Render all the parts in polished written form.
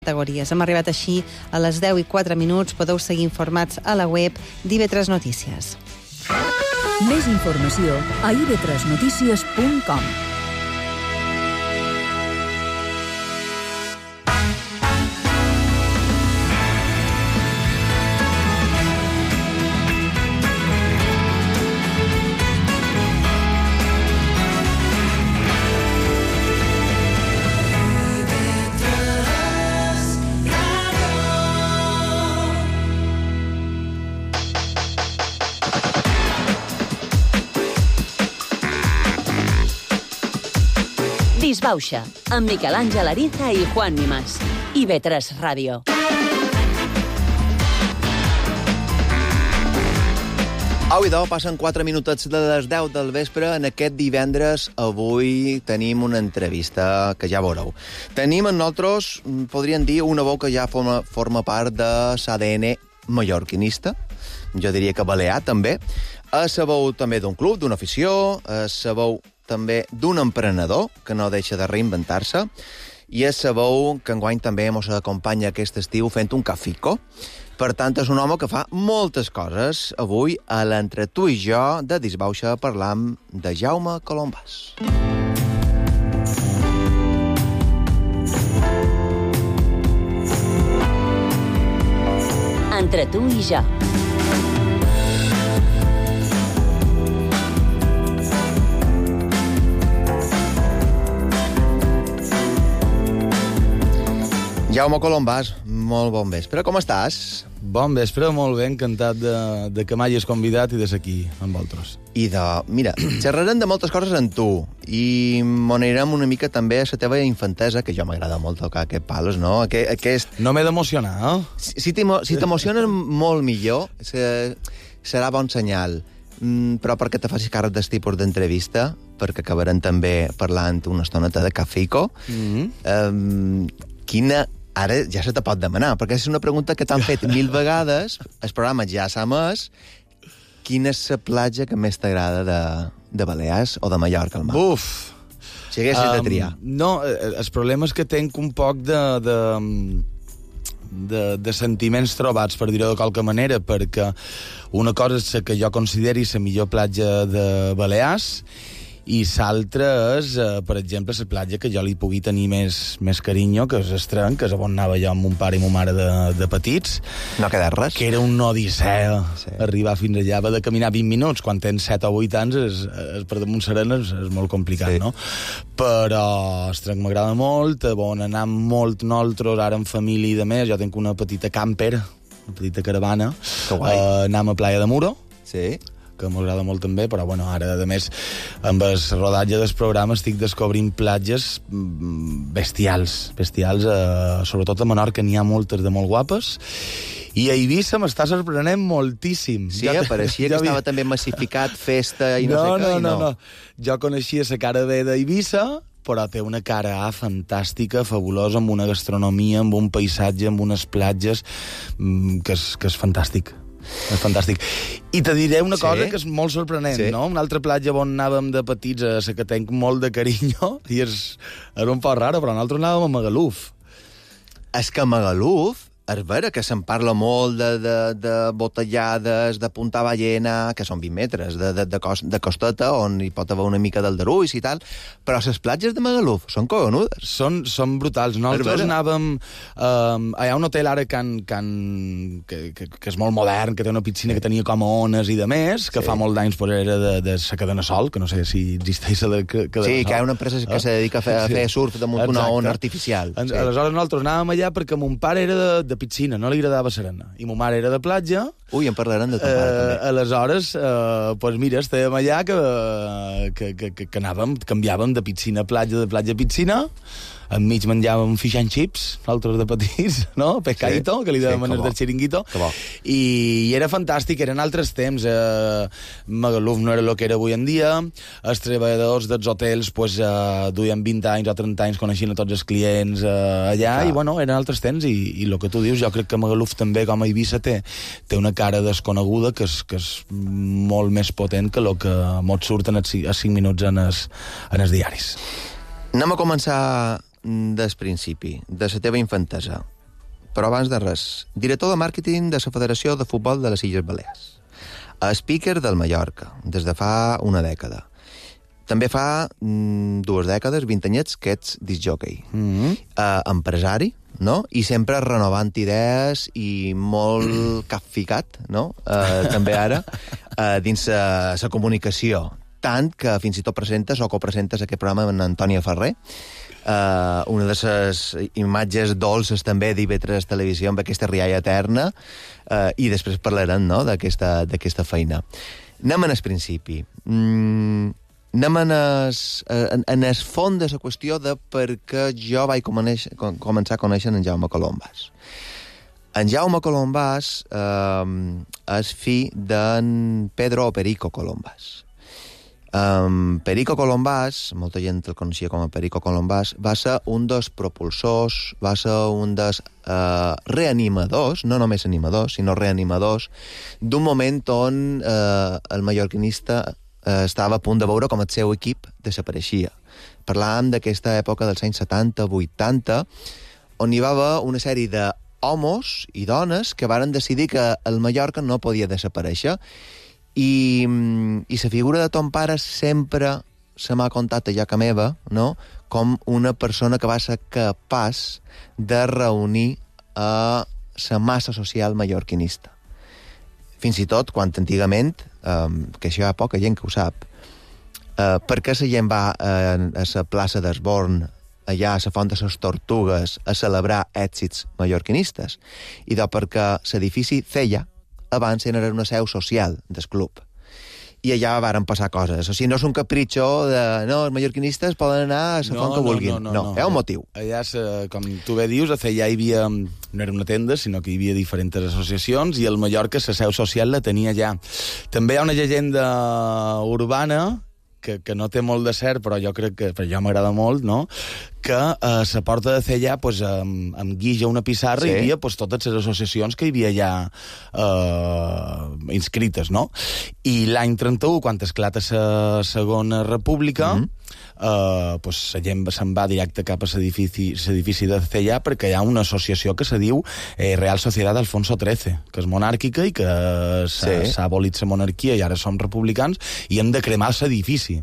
categories. Hem arribat així a les 10:04. Podeu seguir informats a la web d'IV3 Notícies. Més informació a ib3notícies.com. Disbauxa, amb Miquel Àngel Ariza i Juan Nimas. IB3 Ràdio. Au, idò, passen 4 minutets de les 10 del vespre. En aquest divendres, avui, tenim una entrevista que ja veureu. Tenim en nosaltres, podríem dir, una veu que ja forma part de l'ADN mallorquinista. Jo diria que balear, també. És la veu també d'un club, d'una afició, és la veu també d'un emprenedor que no deixa de reinventar-se, i és la veu que enguany també ens acompanya aquest estiu fent un cafico. Per tant, és un home que fa moltes coses. Avui, a l'Entre tu i jo de Disbauxa, parlam de Jaume Colombàs. Entre tu i jo. Jaume Colombàs, molt bon vespre. Com estàs? Bon vespre, molt bé, encantat de que m'hagis convidat i de ser aquí amb vosaltres. Mira, xerrarem de moltes coses amb tu i m'anirem una mica també a la teva infantesa, que jo m'agrada molt tocar aquest palos, no? No m'he d'emocionar, eh? Si t'emociones molt millor, serà bon senyal. Però perquè te facis càrrec del tipus d'entrevista, perquè acabarem també parlant una estoneta de cafico, ara ja se te pot demanar, perquè és una pregunta que t'han fet 1000 vegades, el programa ja s'ha emès. Quina és la platja que més t'agrada de Balears o de Mallorca al mar? Buf! Si haguessis de triar. No, el problema és que tenc un poc de sentiments trobats, per dir-ho de qualque manera, perquè una cosa és que jo consideri la millor platja de Balears, i l'altra és, per exemple, la platja que jo li pugui tenir més carinyo, que és Estrenc, que és on anava jo amb mon pare i mon mare de petits. No ha quedat res. Que era una odissea, sí. Arribar fins allà, va de caminar 20 minuts. Quan tens 7 o 8 anys, per damunt serena és molt complicat, sí. No? Però Estrenc m'agrada molt, on anar molt nosaltres, ara en família i de més. Jo tinc una petita camper, una petita caravana. Que guai. Anem a Playa de Muro. Sí. Que m'agrada molt també, però bueno, ara, a més, amb el rodatge del programa estic descobrint platges bestials, sobretot a Menorca n'hi ha moltes de molt guapes, i a Eivissa m'està sorprenent moltíssim. Sí, pareixia que estava també massificat, festa i no sé què. No. Jo coneixia la cara B d'Eivissa, però té una cara A fantàstica, fabulosa, amb una gastronomia, amb un paisatge, amb unes platges, que és fantàstic. És fantàstic. I te diré una cosa que és molt sorprenent, no? Una altra platja on anàvem de petits, a la que tenc molt de carinyo, i és un poc raro, però nosaltres anàvem a Magaluf. És que a Magaluf, és vera que se'n parla molt de botellades, de Punta Ballena, que són 20 metres de costeta, on hi pot haver una mica d'aldarulls i tal, però les platges de Magaluf són cogonudes. Són brutals. Nosaltres anàvem... hi ha un hotel ara que és molt modern, que té una piscina que tenia com a ones i de més, que fa molt d'anys era de la cadena Sol, que no sé si existeix la cadena Sol. Sí, que hi ha una empresa que se dedica a fer surf damunt una ona artificial. Aleshores nosaltres anàvem allà perquè mon pare era de piscina, no li agradava serena. I mon mare era de platja. Ui, en parlarem de ton pare, també. Aleshores, mira, estàvem allà que anàvem, canviàvem de piscina a platja, de platja a piscina, enmig menjàvem fish and chips, nosaltres de petits, no? Pescadito, que li dèiem del xiringuito. I era fantàstic, eren altres temps. Magaluf no era el que era avui en dia. Els treballadors dels hotels duien 20 anys o 30 anys coneixent a tots els clients allà, i bueno, eren altres temps, i el que tu dius, jo crec que Magaluf també, com a Eivissa, té una cara desconeguda que és molt més potent que el que mos surten a 5 minuts en els diaris. Anem a començar del principi, de la teva infantesa. Però abans de res, director de màrqueting de la Federació de Futbol de les Illes Balears. Speaker del Mallorca, des de fa una dècada. També fa 2 dècades, 20 anyets, que ets discjòquei. Empresari, no? I sempre renovant idees i molt capficat, no? També ara, dins la comunicació. Tant que fins i tot presentes o copresentes aquest programa amb Antònia Ferrer, una de les imatges dolces també d'IV3 Televisió amb aquesta rialla eterna, i després parlarem, no?, d'aquesta feina. Anem en el principi. Anem en el fons de la qüestió de per què jo vaig començar a conèixer en Jaume Colombàs. En Jaume Colombàs és fill d'en Pedro Perico Colombàs. Perico Colombàs, molta gent el coneixia com a Perico Colombàs, va ser un dels propulsors, va ser un dels reanimadors, no només animadors, sinó reanimadors, d'un moment on el mallorquinista estava a punt de veure com el seu equip desapareixia. Parlàvem d'aquesta època dels anys 70-80, on hi va haver una sèrie d'homes i dones que varen decidir que el Mallorca no podia desaparèixer. I la figura de ton pare sempre se m'ha contat a lloca meva, no?, com una persona que va ser capaç de reunir a la massa social mallorquinista. Fins i tot, quan antigament, que això hi ha poca gent que ho sap, per què la gent va a la plaça d'Esborn, allà a la Font de les Tortugues, a celebrar èxits mallorquinistes? I perquè l'edifici Cella abans era una seu social del club. I allà varen passar coses. O sigui, no és un capritxo de... No, els mallorquinistes poden anar a la font que vulguin. No, hi ha un motiu. Allà, com tu bé dius, allà hi havia... No era una tenda, sinó que hi havia diferents associacions i el Mallorca, la seu social, la tenia allà. També hi ha una llegenda urbana que no té molt de cert, però jo crec que... Però jo m'agrada molt, no?, que a la porta de Cellà, pues, amb guix a una pissarra, hi havia pues, totes les associacions que hi havia allà inscrites, no? I l'any 31, quan esclata la Segona República, pues, la gent se'n va directe cap a l'edifici de Cellà perquè hi ha una associació que se diu Real Sociedad Alfonso XIII, que és monàrquica i que s'ha abolit la monarquia i ara som republicans i hem de cremar l'edifici.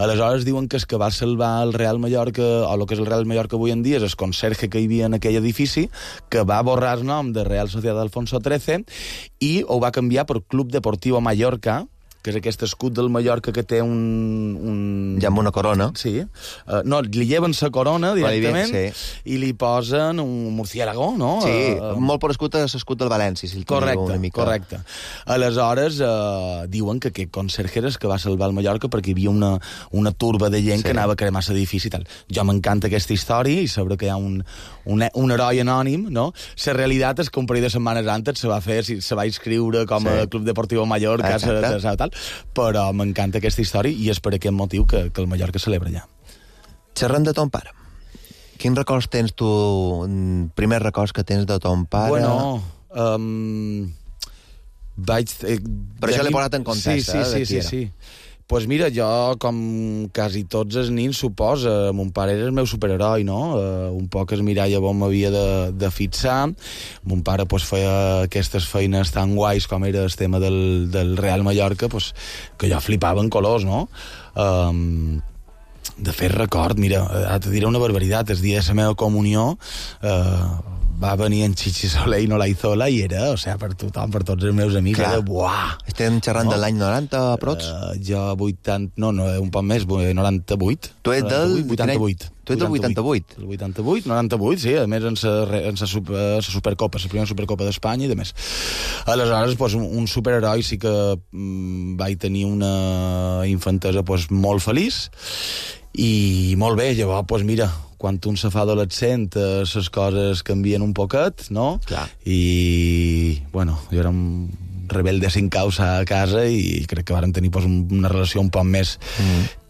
Aleshores diuen que és que va salvar el Real Mallorca, o el que és el Real Mallorca avui en dia, és el conserge que hi havia en aquell edifici, que va borrar el nom de Real Sociedad Alfonso XIII i ho va canviar per Club Deportivo Mallorca, que és aquest escut del Mallorca que té un... Ja amb una corona. Sí. No, li lleven la corona directament i li posen un murciélago, no? Sí, molt per escut a l'escut del València, si el teniu una mica. Correcte. Aleshores, diuen que aquest conserge és que va salvar el Mallorca perquè hi havia una turba de gent que anava a cremar l'edifici i tal. Jo m'encanta aquesta història i saber que hi ha un heroi anònim, no? La realitat és que un parell de setmanes antes se va inscriure com a Club Deportivo Mallorca, tal, però m'encanta aquesta història i és per aquest motiu que el Mallorca celebra allà. Xerrant de ton pare, quins records tens tu, primers records que tens de ton pare? Bueno, per això l'he posat en context, Sí. Pues mira, jo, com quasi tots els nins, suposa, mon pare era el meu superheroi, no? Un poc es miralla on m'havia de fixar. Mon pare pues, feia aquestes feines tan guais com era el tema del Real Mallorca, pues, que jo flipava en colors, no? De fet, record, mira, te diré una barbaritat, el dia de la meva comunió va venir en Chichi Soler i Nolaizola i era, o sigui, per tothom, per tots els meus amics, era buah! Estem xerrant de l'any 90, aprox? Jo 80... No, un poc més, 98. Tu ets del... 88. Tu ets del 88? El 88, 98, sí, a més en la Supercopa, la primera Supercopa d'Espanya i de més. Aleshores, pues, un superheroi sí que vaig tenir una infantesa pues, molt feliç i molt bé, llavors, pues, mira, quan un se fa adolescent, les coses canvien un poquet, no? Clar. I, bueno, jo era un rebelde sin causa a casa i crec que vàrem tenir pues, una relació un poc més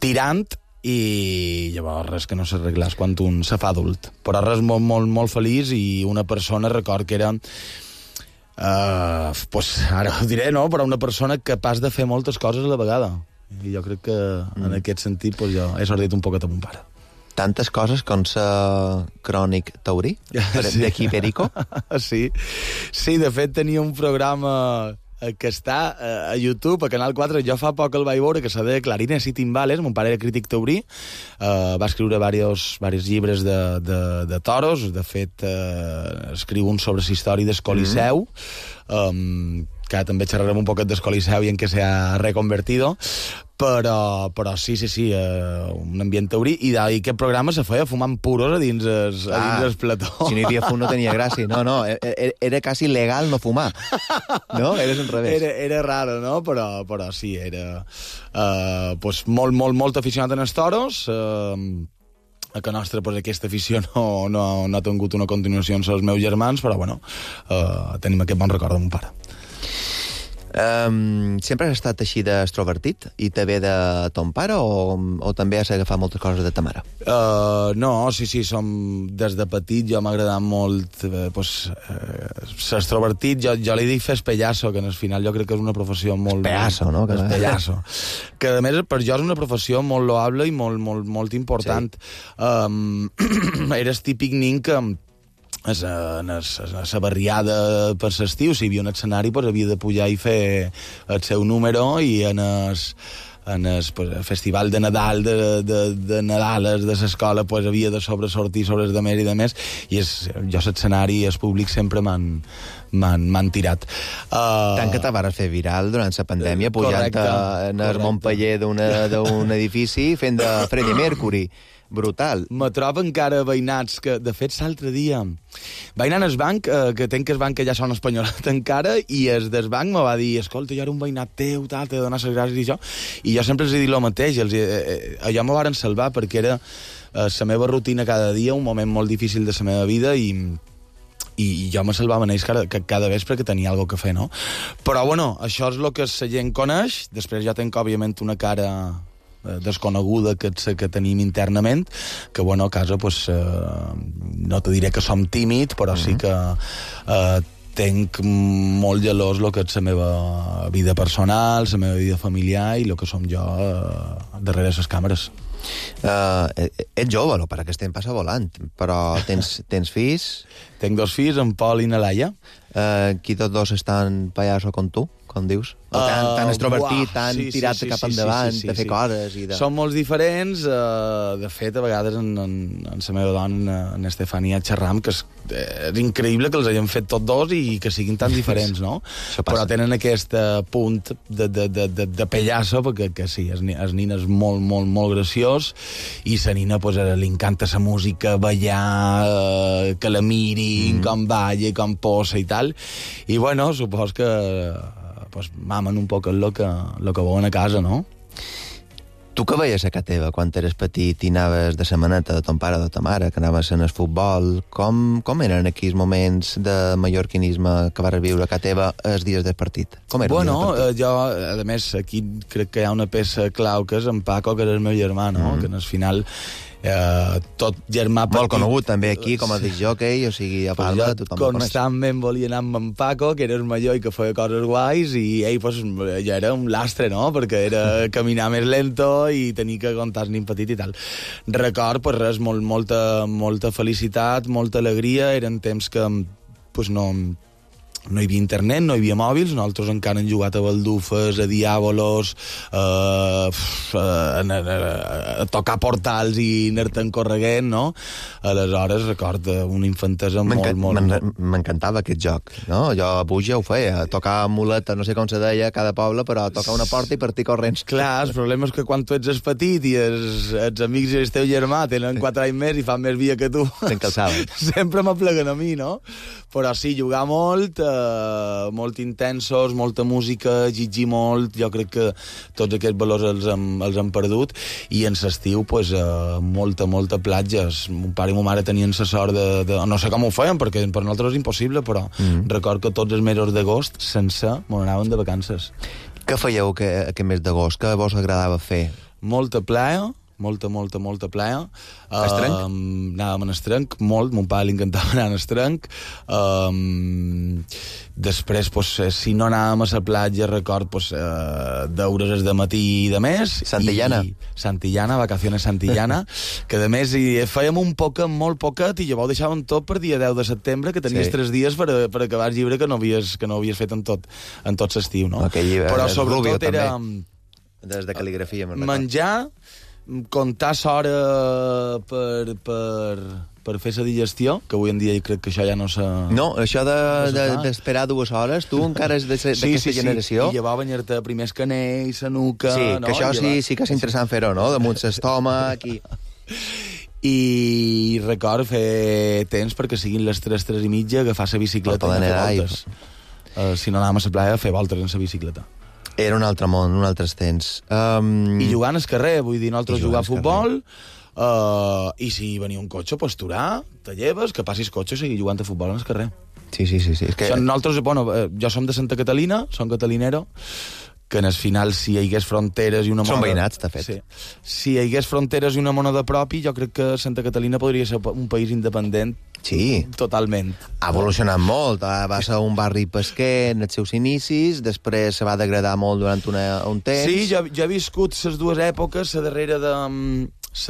tirant i llavors res que no s'arreglàs quan un se fa adult. Però res molt, molt, molt feliç i una persona, record que era... pues, ara ho diré, no? Però una persona capaç de fer moltes coses a la vegada. I jo crec que en aquest sentit pues, jo he sortit un poquet amb mon pare. tantes coses com ser crònic taurí, d'aquí Perico. Sí, de fet tenia un programa que està a YouTube, a Canal 4. Jo fa poc el vaig veure, que se deia Clarines i Timbales. Mon pare era crític taurí, va escriure diversos llibres de toros. De fet, escriu un sobre la història del Coliseu, que també xerrarem un poquet del Coliseu i en què s'ha reconvertido, però sí, un ambient taurí, i aquest programa se feia fumant puros a dins el plató. Si no hi havia fum no tenia gràcia. No, era quasi legal no fumar. No? Eres al revés. Era raro, no? Però sí, era molt aficionat en els toros. A que nostra, aquesta afició no ha tingut una continuació amb els meus germans, però bueno, tenim aquest bon record de mon pare. Sempre has estat així d'extrovertit i te ve de ton pare o també has agafat moltes coses de ta mare? No, sí, des de petit jo m'ha agradat molt ser extrovertit. Jo li dic fer pallasso, que al final jo crec que és una professió molt... Pallasso, no? Pallasso. Que a més per jo és una professió molt loable i molt important. Sí. Eres típic nin que a la barriada per l'estiu, si hi havia un escenari, havia de pujar i fer el seu número, i en el festival de Nadal de Nadales de l'escola havia de sobresortir sobre els de més, i jo l'escenari i el públic sempre m'han tirat. Tant que te vas fer viral durant la pandèmia, pujant en el Montpeller d'un edifici fent de Freddie Mercury. Brutal. Me trobo encara veïnats que, de fet, l'altre dia vaig anar al banc, que tenc el banc que ja són espanyolat encara, i el del banc me va dir, escolta, jo era un veïnat teu, t'he de donar les gràcies i això, i jo sempre els he dit el mateix, allò me varen salvar perquè era la meva rutina cada dia, un moment molt difícil de la meva vida, i jo me salvava en ells cada vespre, que tenia alguna que fer, no? Però, bueno, això és el que la gent coneix. Després ja tenc, òbviament, una cara desconeguda que tenim internament, que, bueno, a casa, no te diré que som tímid, però sí que tenc molt gelós el que és la meva vida personal, la meva vida familiar i el que som jo darrere les càmeres. Ets jove, el pare que estem passa volant, però tens fills? Tenc 2 fills, en Pol i na Laia. Qui tots dos estan pallasso com tu, com dius? O tan extrovertit, tan tirat cap endavant, de fer coses i de... Són molts diferents. De fet, a vegades en la meva dona, en Estefania, xerram, que és increïble que els hagin fet tots dos i que siguin tan diferents, no? Però tenen aquest punt de pallasso, perquè sí, el nin és molt graciós, i la nina, li encanta la música, ballar, que la mirin, com balla, com posa i tal. I, bueno, supos que mamen un poc el que veuen a casa, no? Tu que veies a casa teva quan eres petit i anaves de setmaneta de ton pare o de ta mare, que anaves en el futbol, com eren aquells moments de mallorquinisme que vas viure a casa teva els dies del partit? Com era el dia del partit? Jo, a més, aquí crec que hi ha una peça clau, que és en Paco, que és el meu germà, no? Que al final tot germà petit... Molt conegut també aquí com a discjòquei, o sigui, a Palma tothom el coneix. Constantment volia anar amb en Paco, que era el major i que feia coses guais, i ell ja era un lastre, no? Perquè era caminar més lento i tenir que contar nin petit i tal. Record, res, molta felicitat, molta alegria. Eren temps que no hi havia internet, no hi havia mòbils, nosaltres encara hem jugat a baldufes, a diàbolos, a tocar portals i anar-te'n correguent, no? Aleshores, record una infantesa molt... M'encantava aquest joc, no? Jo a Buja ho feia, tocar muleta, no sé com se deia a cada poble, però tocar una porta i partir corrents. Clar, el problema és que quan tu ets petit i els amics i el teu germà tenen 4 anys més i fan més via que tu, sempre m'apleguen a mi, no? Però sí, jugar molt intensos, molta música, llegir molt. Jo crec que tots aquests valors els hem perdut, i en l'estiu molta platja. Mon pare i ma mare tenien la sort de no sé com ho feien, perquè per nosaltres és impossible, però record que tots els mesos d'agost sense m'anaven de vacances. Què fèieu aquest mes d'agost? Què vos agradava fer? Molta playa, molta plaer. Estrenc? Anàvem en estrenc, molt, mon pare li encantava anar en estrenc. Després, pues, si no anàvem a la platja, record d'hores des de matí i de més. Santillana. Santillana, vacaciones Santillana, que de més fèiem molt poquet, i llavors deixàvem tot per dia 10 de setembre, que tenies 3 dies per acabar el llibre que no havies fet en tot l'estiu, no? Però sobretot era... Des de cal·ligrafia. Menjar, comptar l'hora per fer la digestió, que avui en dia crec que això ja no s'ha... No, això d'esperar 2 hores, tu encara és d'aquesta generació. I llavors banyar-te primer el canell, la nuca... Sí, no? Que això sí que és interessant fer-ho, no? Damunt l'estómac i... I record fer temps perquè siguin les 3:30, agafar la bicicleta i anar a fer voltes. Si no anàvem a la playa, fer voltes en la bicicleta. Era un altre món, un altre temps. I jugant al carrer, vull dir, nosaltres jugar a futbol, i si venia un cotxe, pues turar, te lleves, que passis cotxe i seguir jugant a futbol al carrer. Sí. És que... Nosaltres, jo som de Santa Catalina, som catalinero, que en el final, si hi hagués fronteres i una Són veïnats, de fet. Sí. Si hi hagués fronteres i una moneda propi, jo crec que Santa Catalina podria ser un país independent. Sí. Totalment. Ha evolucionat molt. Va ser un barri pesquer en els seus inicis, després se va degradar molt durant un temps. Sí, jo he viscut les dues èpoques, la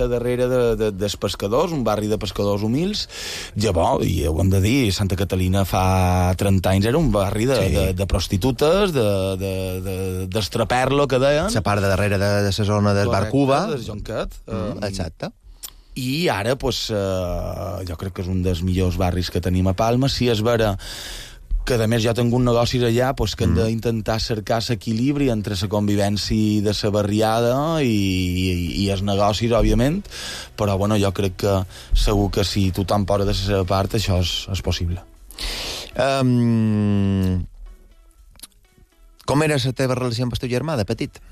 darrere dels pescadors, un barri de pescadors humils. Llavors, i ho hem de dir, Santa Catalina fa 30 anys era un barri de prostitutes, d'estraperlo, que deien. La part de darrere de la zona del Bar Cuba. Del Jonquet. Exacte. I ara, jo crec que és un dels millors barris que tenim a Palma. Si és vera que, a més, jo tinc un negocis allà, que hem d'intentar cercar l'equilibri entre la convivència de la barriada i els negocis, òbviament, però, jo crec que segur que si tothom posa de la seva part, això és possible. Com era la teva relació amb el teu germà, de petit?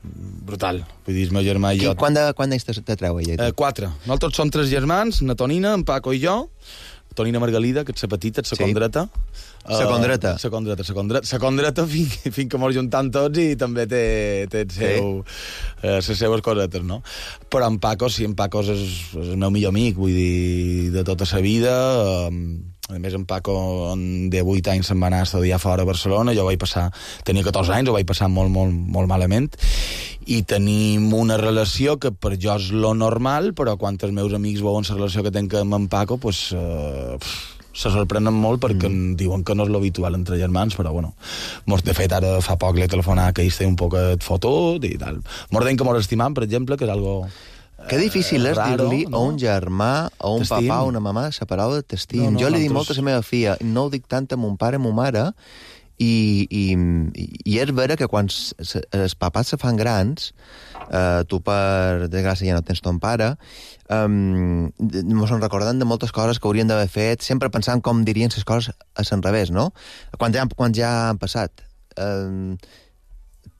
Brutal. Vull dir, el meu germà i jo... Quant d'ells te treu ella? 4. Nosaltres som 3 germans, na Tonina, en Paco i jo. Tonina Margalida, que és la petita, és la condreta. La condreta fins que mos juntam tots i també té les seues cosetes, no? Però en Paco, sí, en Paco és el meu millor amic, vull dir, de tota la vida. A més, en Paco, de 8 anys se'n va anar a estudiar fora a Barcelona. Jo tenia 14 anys, ho vaig passar molt malament. I tenim una relació que per jo és lo normal, però quan els meus amics veuen la relació que tenc amb en Paco, se sorprenen molt perquè diuen que no és l'habitual entre germans, però de fet ara fa poc l'he telefonat que ells té un poquet fotut i tal. Mos deien que mos estimam, per exemple, que és algo... Que difícil és dir-li a un germà, a un papà, a una mamà, la paraula t'estim. Jo li dic molt a la meva filla, no ho dic tant a mon pare, a mon mare, i és vera que quan els papats se fan grans, tu per desgràcia ja no tens ton pare, mos en recordem de moltes coses que haurien d'haver fet, sempre pensant com dirien les coses a l'enrevés, no? Quan ja han passat.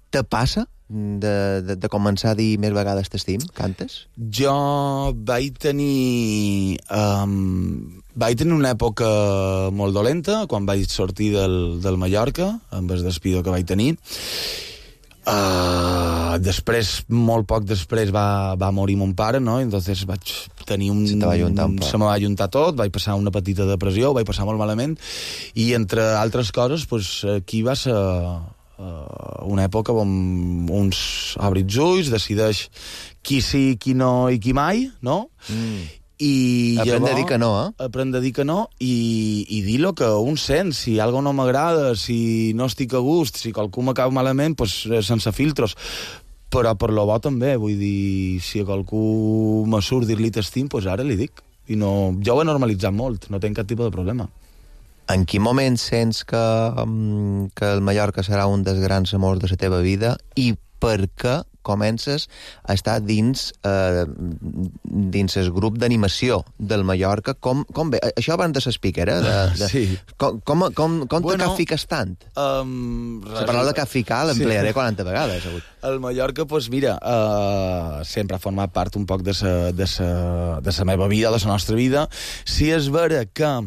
Te passa de començar a dir més vegades t'estim, cantes? Jo vaig tenir una època molt dolenta quan vaig sortir del Mallorca, amb el despido que vaig tenir. Després, molt poc després, va morir mon pare, no? Entonces vaig tenir se me va ajuntar tot, vaig passar una petita depressió, ho vaig passar molt malament, i entre altres coses, aquí va ser una època on uns obri els ulls, decideix qui sí, qui no i qui mai, no? Aprèn a dir que no, Aprèn a dir que no i dir lo que un sent. Si algo no m'agrada, si no estic a gust, si qualcú m'acaba malament, sense filtros. Però per lo bo també, vull dir, si a qualcú me surt dir-li t'estim, ara li dic. I no, jo ho he normalitzat molt, no tinc cap tipus de problema. En quin moment sents que el Mallorca serà un dels grans amors de la teva vida i per què comences a estar dins el grup d'animació del Mallorca? Com bé? Això abans de s'explica, Sí. Com te capfiques tant? La paraula capficar l'emplearé 40 vegades. El Mallorca, mira, sempre ha format part un poc de la meva vida, de la nostra vida. Si és vera que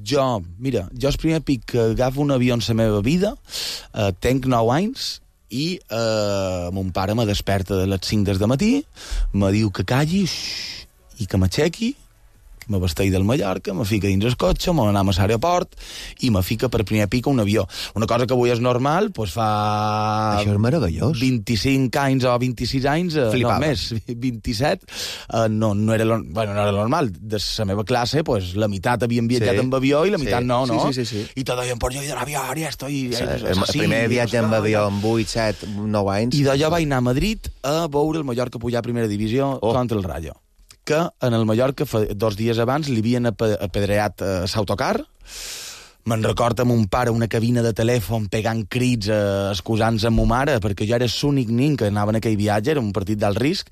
jo el primer pic que agafo un avió en la meva vida, tenc 9 anys, i mon pare me desperta de les 5 del matí, me diu que calli i que m'aixequi, me vesteix del Mallorca, me fica dins el cotxe, me n'anem a l'aeroport i me fica per primer pic un avió. Una cosa que avui és normal, doncs fa... Això és meravellós. 25 anys o 26 anys, Flipava. no més, 27, no era normal. De la meva classe, pues, la meitat havien viatjat amb avió i la meitat no. Sí. I tot deien, pues jo he d'anar a avió, ja estoy... El primer viatge amb avió amb 8, 7, 9 anys. I d'allò vaig anar a Madrid a veure el Mallorca pujar a primera divisió contra el Rayo. Que en el Mallorca, 2 dies abans, li havien apedreat l'autocar. Me'n record amb un pare una cabina de telèfon pegant crits, excusant-se amb ma mare, perquè jo era l'únic nin que anava en aquell viatge, era un partit d'alt risc.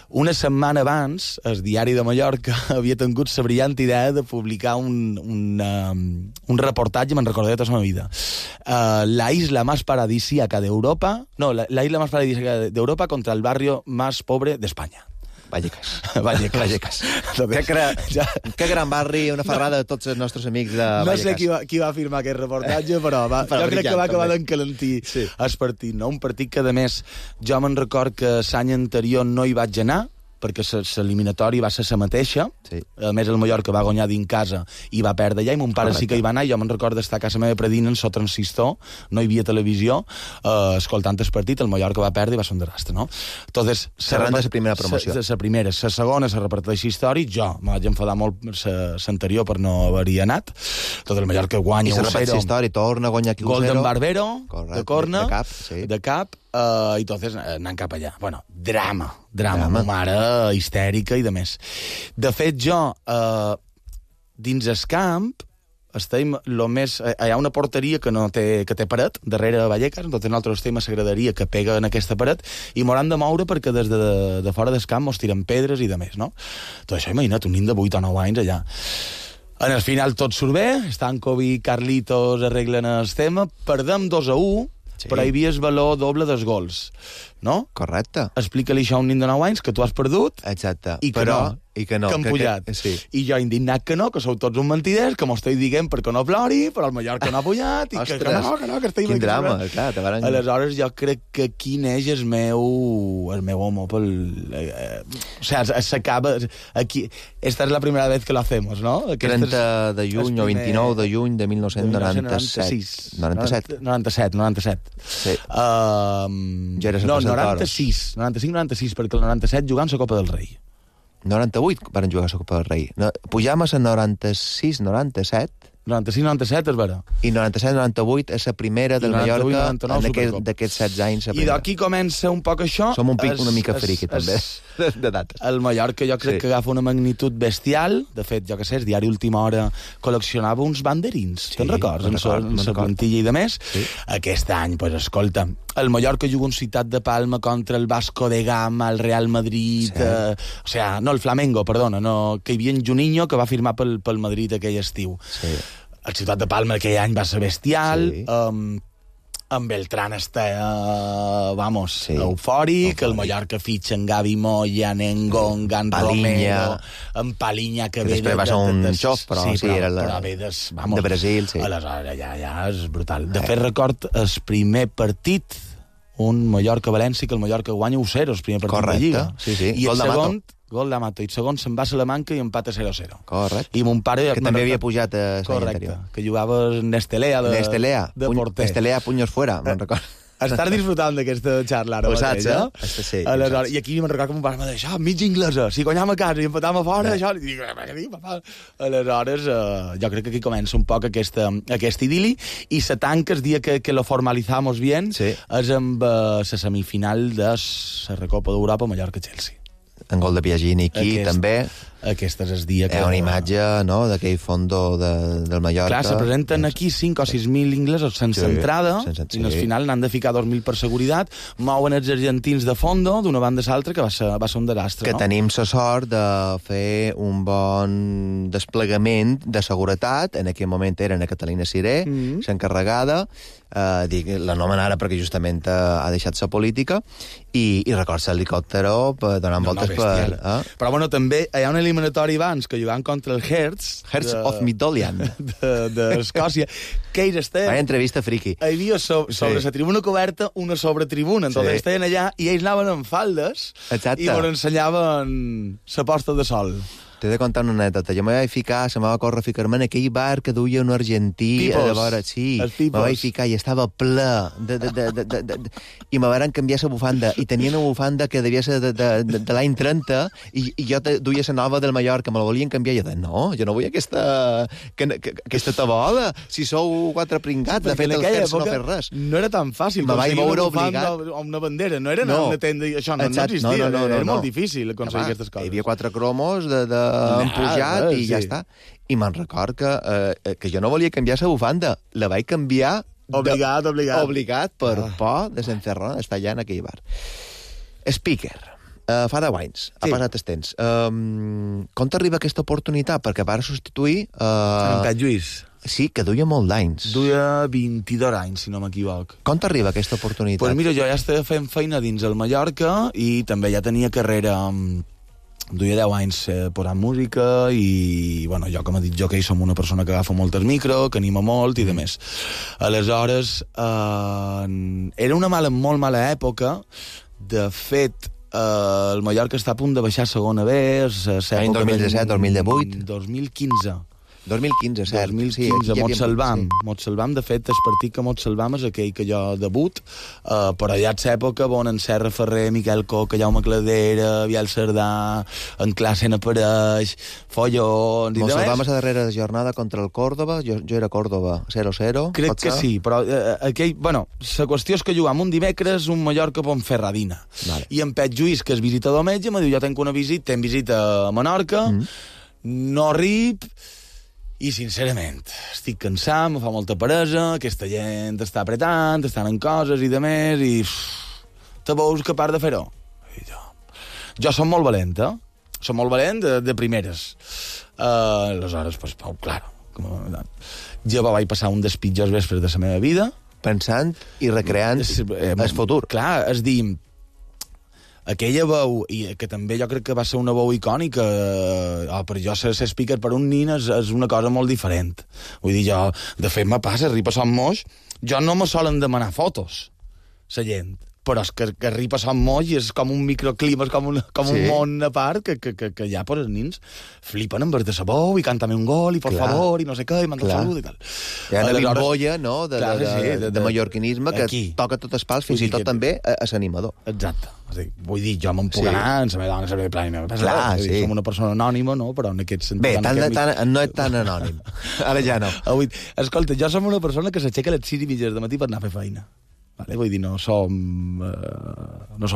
Una setmana abans, el Diari de Mallorca havia tingut la brillant idea de publicar un reportatge, me'n recordaré tota la meva vida. La isla más paradisíaca d'Europa... No, la isla más paradisíaca d'Europa contra el barrio más pobre d'Espanya. Vallecas. Que gran barri, una ferrada de tots els nostres amics de Vallecas. No sé qui va firmar aquest reportatge, però jo crec que va acabar d'encalentir el partit. No? Un partit que, a més, jo me'n record que l'any anterior no hi vaig anar, perquè l'eliminatori va ser la mateixa. Sí. A més, el Mallorca va guanyar dins casa i va perdre allà, i mon pare sí que hi va anar, i jo me'n record d'estar a casa meva predint en so transistor, no hi havia televisió, escoltant el partit, el Mallorca va perdre i va ser un desastre, no? Entonces, Serran de la primera promoció. La primera. La segona se repeteix històric, jo me vaig enfadar molt l'anterior per no haver-hi anat. Tot el Mallorca guanya 1-0. I se repeteix històric, torna a guanyar aquí 1-0. Gol d'en Barbero, correcte, de corna, de cap, i entonces anant cap allà. Bueno, drama. Ma mare histèrica i de més. De fet, jo, dins el camp, estem lo més... Hi ha una porteria que té paret, darrere de Vallecas, entonces nosaltres estem a la graderia que pega en aquesta paret i m'hauran de moure perquè des de fora del camp mos tiren pedres i de més, no? Tot això, imagina't, un nin de 8 o 9 anys allà. En el final tot surt bé, Stankovic i Carlitos arreglen el tema, perdem 2-1, però hi havia el valor doble dels gols, no? Correcte. Explica-li això a un nin de 9 anys, que tu has perdut, exacte. I que no, que han pujat. Sí. I jo indignat que sou tots uns mentiders, que m'ho estic dient perquè no plori, però el Mallorca no ha pujat, i que no, que estic... Quin drama, clar. Aleshores jo crec que aquí neix el meu amor pel... O sea, s'acaba... Aquí... Esta és la primera vez que lo hacemos, ¿no? 30 de juny o 29 de juny de 1997. 97. Sí. Ja eres el presentador. 95-96, perquè el 97 jugant la Copa del Rei. 98 van jugar a la Copa del Rei. Pujam a la 96-97. 96-97 és vera. I 97-98 és la primera del Mallorca d'aquests 16 anys. I d'aquí comença un poc això. Som una mica friqui, també, de dates. El Mallorca jo crec que agafa una magnitud bestial. De fet, jo què sé, el diari Última Hora col·leccionava uns banderins. Te'n records? En la plantilla i de més. Sí. Aquest any, pues, escolta, el Mallorca juga un Ciutat de Palma contra el Vasco de Gama, el Real Madrid... el Flamengo, perdona, que hi havia en Juninho, que va firmar pel Madrid aquell estiu. Sí. El Ciutat de Palma aquell any va ser bestial, en Beltrán està, eufòric, el Mallorca fitxa en Gavi Moya, en Engonga, en Romero, en Palinya, que ve... Després va ser un xof, però ve de Brasil, sí. Aleshores, ja és brutal. De fet, record el primer partit, un Mallorca-València, que el Mallorca guanya 1-0, el primer partit de Lliga. Sí, i el segon... Gol d'Amato, i segon se'n va a Salamanca i empata 0-0. Correcte. I mon pare... Que també havia pujat a l'any anterior. Que jugava Nestelea de porter. Nestelea, punyos fuera, me'n recordo. Estar disfrutant d'aquesta xarxa ara. Ho saps, eh? Sí. Aleshores, i aquí me'n recordo que mon pare m'ha dit, això, mig inglesa, si guanyam a casa i empatam a fora, això... I dic, què dic, papà? Aleshores, jo crec que aquí comença un poc aquest idili, i se tanca el dia que lo formalizamos bien, és amb la semifinal de la Recopa d'Europa Mallorca-Chelsea. En gol de Piagini aquí, també. Aquest és el dia que... Una imatge, no?, d'aquell fondo del Mallorca. Clar, se presenten aquí 5 o 6.000 inglesos sense entrada, i al final n'han de ficar 2.000 per seguretat, mouen els argentins de fondo, d'una banda a l'altra, que va ser un desastre, no? Que tenim la sort de fer un bon desplegament de seguretat. En aquell moment eren a Catalina Siré, s'encarregada, l'anomen ara perquè justament ha deixat la política, i recorda l'helicòptero donant voltes per... Però, bueno, també hi ha un eliminatori abans que jugàvem contra el Hearts of Midtjylland d'Escòcia, que ells estaven... Vaya entrevista friki. Hi havia sobre la tribuna coberta una sobretribuna, entonces estaven allà i ells anaven amb faldes i ens ensenyaven la posta de sol. T'he de contar una anècdota. Jo me vaig córrer a ficar-me en aquell bar que duia un argentí a de vora. Sí, me vaig ficar i estava ple i me van canviar la bufanda i tenien una bufanda que devia ser de l'any 30 i jo duia la nova del Mallorca, me la volien canviar i jo deia, no, jo no vull aquesta tabola, si sou quatre pringats, de fet el Hertz no fer res. No era tan fàcil aconseguir una bufanda o una bandera, no era anar a una tenda, això no existia, era molt difícil aconseguir aquestes coses. Hi havia 4 cromos empujat i ja està. I me'n record que jo no volia canviar la bufanda. La vaig canviar... Obligat per por de s'encerrar d'estar allà en aquell bar. Speaker. Fa 10 anys. Ha passat el temps. Com t'arriba aquesta oportunitat? Perquè va substituir... En Pep Lluís. Sí, que duia molt d'anys. Duia 22 anys, si no m'equivoc. Com t'arriba aquesta oportunitat? Pues mira, jo ja estava fent feina dins el Mallorca i també ja tenia carrera... Duia 10 anys posant música i, bueno, jo, com he dit, jo que som una persona que agafa molt el micro, que anima molt i de més. Aleshores, era una molt mala època. De fet, el Mallorca està a punt de baixar a segona B. L'any 2017, 2018? 2015. 2015, cert. 2015, Mot Salvam, de fet, el partit que Mot Salvam és aquell que jo debut, però allà és l'època on en Serra Ferrer, Miquel Coca, Jaume Cladera, Biel Cerdà, en classe n'apareix, follons... Mot Salvam és a darrera jornada contra el Córdoba, jo era Córdoba, 0-0. Crec que sí, però aquell... Bueno, la qüestió és que jugam un dimecres un Mallorca a Pontferradina. I en Pep Lluís, que és visitador metge, em diu, jo tenc una visita a Menorca, no arrib... I, sincerament, estic cansat, me fa molta peresa, aquesta gent està apretant, estan en coses i de més, i te veus capaç de fer-ho. Jo som molt valent, Som molt valent de primeres. Aleshores, pues, claro, jo vaig passar un dels pitjors vespres de la meva vida. Pensant i recreant el futur. Clar, és dir... Aquella veu, i que també jo crec que va ser una veu icònica, per jo ser speaker per un nin és una cosa molt diferent. Vull dir, jo, de fet, me passa, arriba a Sant Moix, jo no me solen demanar fotos, la gent, però és que arriba a Sant Moix i és com un microclima, és com un món a part, que ja, pues, els nins flipen en vers de sa veu i cántame un gol, i por favor, i no sé què, i manda salut, i tal. Hi ha una bimbolla, no?, de mallorquinisme que toca tots els pals, fins i tot també a l'animador. Exacte. Vull dir, jo me'n puc anar, en la meva dona, en la meva plana, som una persona anònima, no?, però en aquest sentit... Bé, no és tan anònim. Ara ja no. Escolta, jo som una persona que s'aixeca a les 6:30 del matí per anar a fer feina. Vale? Vull dir, no som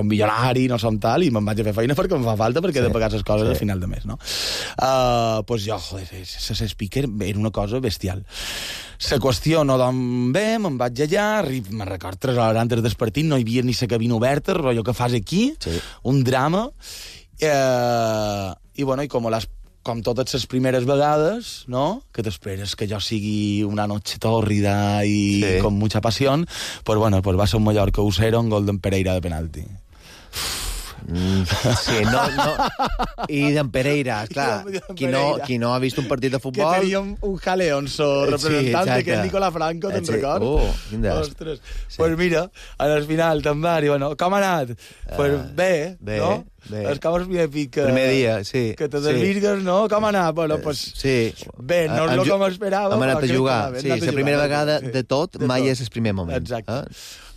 milionari, no som tal, i me'n vaig a fer feina perquè em fa falta, perquè he de pagar les coses al final de mes, no? Pues jo, joder, ser speaker era una cosa bestial. La qüestió no dorm bé, me'n vaig allà, me'n record 3 hores antes del partit, no hi havia ni la cabina oberta, rotllo que fas aquí, un drama, i bueno, i com totes les primeres vegades, no?, que t'esperes que jo sigui una noche tórrida i con mucha pasión, pues bueno, pues va ser un Mallorca 1-0, un gol d'en Pereira de penalti. Sí, no. I d'en Pereira, clar. Qui no ha vist un partit de futbol... Que tenia un jaleón, representant que és Nicolás Franco, te'n record? Ostres. Pues mira, al final te'n va dir, bueno, com ha anat? Pues bé, no? És com el primer dia, sí. Que te desvirgues, no? Com ha anat? Bueno, pues... Sí. Bé, no és el com esperava. Hem anat a jugar. Sí, la primera vegada de tot mai és el primer moment. Exacte.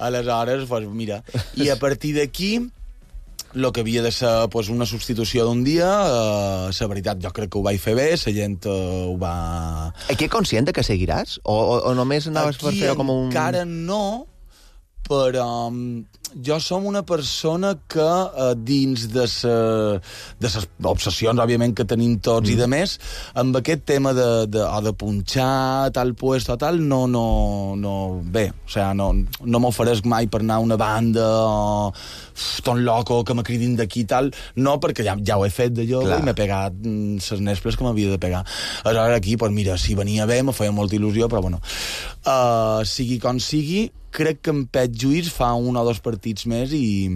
Aleshores, pues mira, i a partir d'aquí... el que havia de ser pues, una substitució d'un dia, la veritat, jo crec que ho vaig fer bé, la gent ho va... Aquí conscient que seguiràs? O només anaves per fer com un... Aquí encara no, però jo som una persona que dins de les obsessions, òbviament, que tenim tots i de més, amb aquest tema de punxar tal puesto o tal, bé, o sigui, no m'oferesc mai per anar a una banda o ton loco que me cridin d'aquí i tal, no, perquè ja ho he fet de jove i m'he pegat les nesples que m'havia de pegar. Aleshores aquí, doncs mira, si venia bé, me feia molta il·lusió, però bueno, sigui com sigui, crec que en Pep Lluís fa 1 o 2 partits més i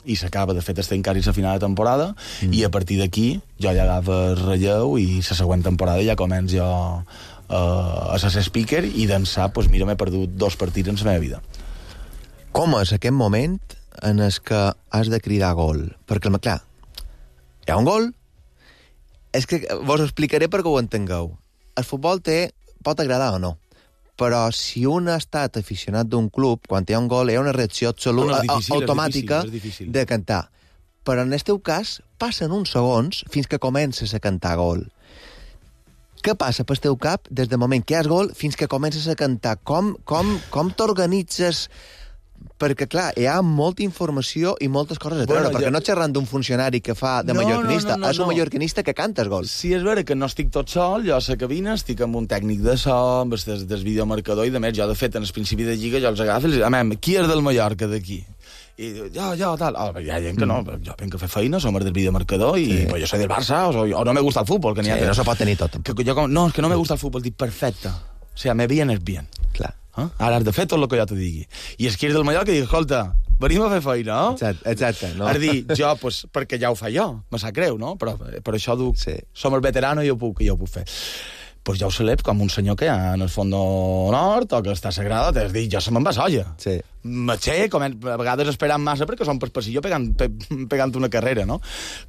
i s'acaba, de fet estem quasi a la final de temporada, i a partir d'aquí jo ja agafo el relleu i la següent temporada ja començo jo a ser speaker i d'ençà, doncs mira, m'he perdut 2 partits en la meva vida. Com és aquest moment en el que has de cridar gol? Perquè, clar, hi ha un gol. És que vos explicaré perquè ho entengueu. El futbol pot agradar o no, però si un ha estat aficionat d'un club, quan hi ha un gol, hi ha una reacció absoluta, automàtica de cantar. Però en el teu cas, passen uns segons fins que comences a cantar gol. Què passa pel teu cap des del moment que hi has gol fins que comences a cantar? Com t'organitzes? Perquè, clar, hi ha molta informació i moltes coses a treure, perquè no xerrant d'un funcionari que fa de mallorquinista, és un mallorquinista que canta els gols. Sí, és vera que no estic tot sol, jo a la cabina estic amb un tècnic de so, amb el videomarcador, i de més, jo, de fet, en el principi de lliga, jo els agafo i els dic, qui és del Mallorca d'aquí? I jo, tal. Hi ha gent que no, jo vinc a fer feina, som del videomarcador, i jo soy del Barça, o no me gusta el fútbol. Que no se pot tenir tot. No, és que no me gusta el fútbol, dic, perfecte. O sea, me vienes bien. Clar. Ara has de fer tot el que jo te digui. I és que és del Mallorca i dic, escolta, venim a fer feina, no? Exacte. No? Has de dir, jo, pues, perquè ja ho fa jo, me sap greu, no? Però per això dic, som el veterano i jo ho puc fer. Pues jo ho celeb com un senyor que hi ha en el fons nord o que està sagrada, t'has dit, jo se me'n va solla. Sí. M'aixec, a vegades esperant massa perquè som per passillo pegant una carrera, no?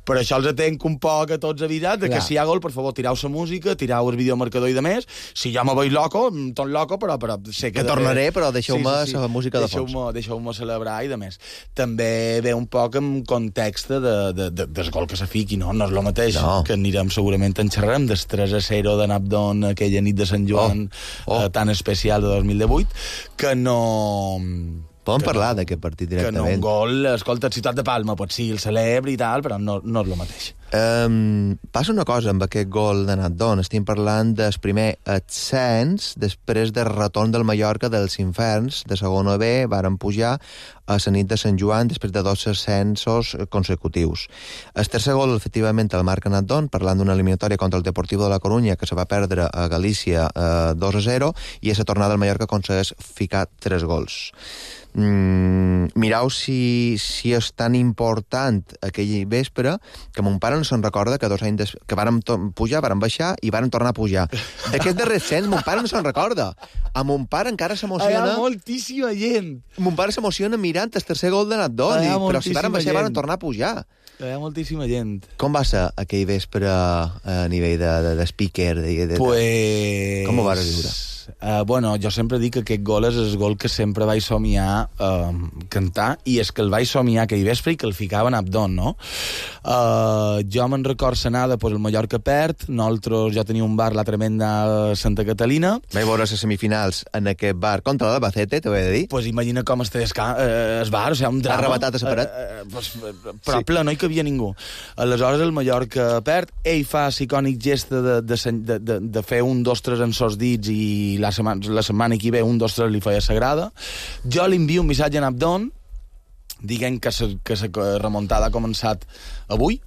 Però això els atenc un poc a tots avisats de que si hi ha gol, per favor, tirau la música, tirau el videomarcador i de més. Si jo me veig loco, tot loco, però sé que tornaré, però deixeu-me la música de fons. Deixeu-me celebrar i de més. També ve un poc en context del gol que se fiqui, no? No és el mateix, que anirem segurament en xerrarem del 3-0 de Napdon aquella nit de Sant Joan tan especial de 2018, que no... Podem parlar d'aquest partit directament. Que no un gol, escolta, Ciutat de Palma, pot ser el celebre i tal, però no és el mateix. Passa una cosa amb aquest gol de Natdon. Estem parlant del primer ascens després del retorn del Mallorca dels Inferns, de segona B, varen pujar a la nit de Sant Joan després de 2 ascensos consecutius. El tercer gol, efectivament, el marca Natdon, parlant d'una eliminatòria contra el Deportivo de la Coruña, que se va perdre a Galícia 2-0, i a la tornada del Mallorca aconsegueix ficar 3 gols. Mireu si és tan important aquell vespre que mon pare no se'n recorda que 2 anys que vàrem pujar, vàrem baixar i vàrem tornar a pujar. D'aquest darrer ascens mon pare no se'n recorda. A mon pare encara s'emociona... Hi ha moltíssima gent. Mon pare s'emociona mirant el tercer gol de Natdon, però si vàrem baixar vàrem tornar a pujar. Hi ha moltíssima gent. Com va ser aquell vespre a nivell de speaker? Com ho vas viure? Bueno, jo sempre dic que aquest gol és el gol que sempre vaig somiar cantar, i és que el vaig somiar aquell vespre i que el ficava en Abdon, no? Jo me'n record l'anada, pues, el Mallorca perd, jo tenia un bar, la tremenda Santa Catalina. Vaig veure les semifinals en aquest bar contra l'Albacete, t'ho he de dir. Pues imagina com el bar, o sigui, un drama. Arrebatat a separat. Però ple, no hi cabia ningú. Aleshores el Mallorca perd, ell fa l'icònic gest de fer 1, 2, 3 en sos dits, i la setmana que ve 1, 2, 3 li feia sagrada. Jo li envio un missatge a Abdon dient que la remuntada ha començat avui.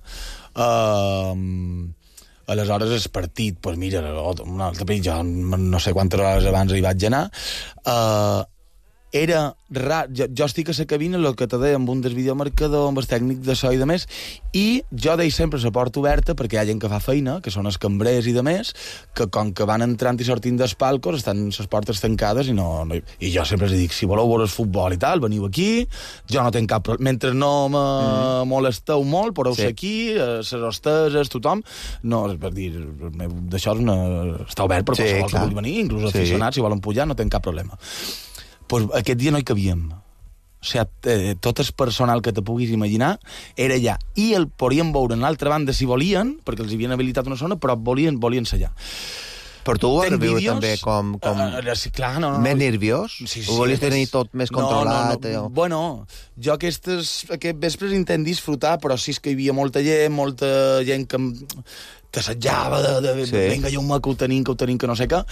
Aleshores el partit, doncs mira, un altre partit, jo no sé quantes hores abans hi vaig anar, era rar. Jo estic a la cabina, el que te deia, amb un del videomarcador, amb el tècnic de so i de més, i jo deixo sempre la porta oberta perquè hi ha gent que fa feina, que són els cambrers i de més, que com que van entrant i sortint dels palcos estan les portes tancades i jo sempre els dic, si voleu veure el futbol i tal, veniu aquí, jo no tinc cap problema. Mentre no me molesteu molt, podeu ser aquí, les hosteses, tothom. No, és per dir, d'això està obert per qualsevol que vulgui venir, inclús els aficionats, si volen pujar, no tinc cap problema. Pues aquest dia no hi cabíem. O sigui, tot el personal que te puguis imaginar era allà. I el podien veure en l'altra banda si volien, perquè els havien habilitat una zona, però volien ser allà. Per tu ho vas viure també com clar, no. Més nerviós? Sí, o volies tenir tot més controlat? No. Bueno, jo aquest vespres intent disfrutar, però sí que hi havia molta gent que t'assetjava vinga, jo que ho tenim, que no sé què.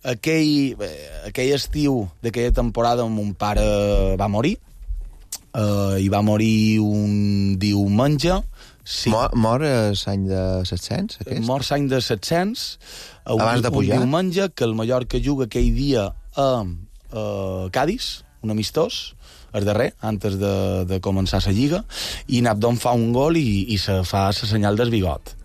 Aquell estiu d'aquella temporada mon pare va morir, i va morir un diumenge. Sí. Mor l'any de 700, aquest? Mor l'any de 700, abans de pujar. Un diumenge que el Mallorca juga aquell dia a Cádiz, un amistós, el darrer, antes de començar la lliga, i Nabdon fa un gol i se fa la senyal del bigot.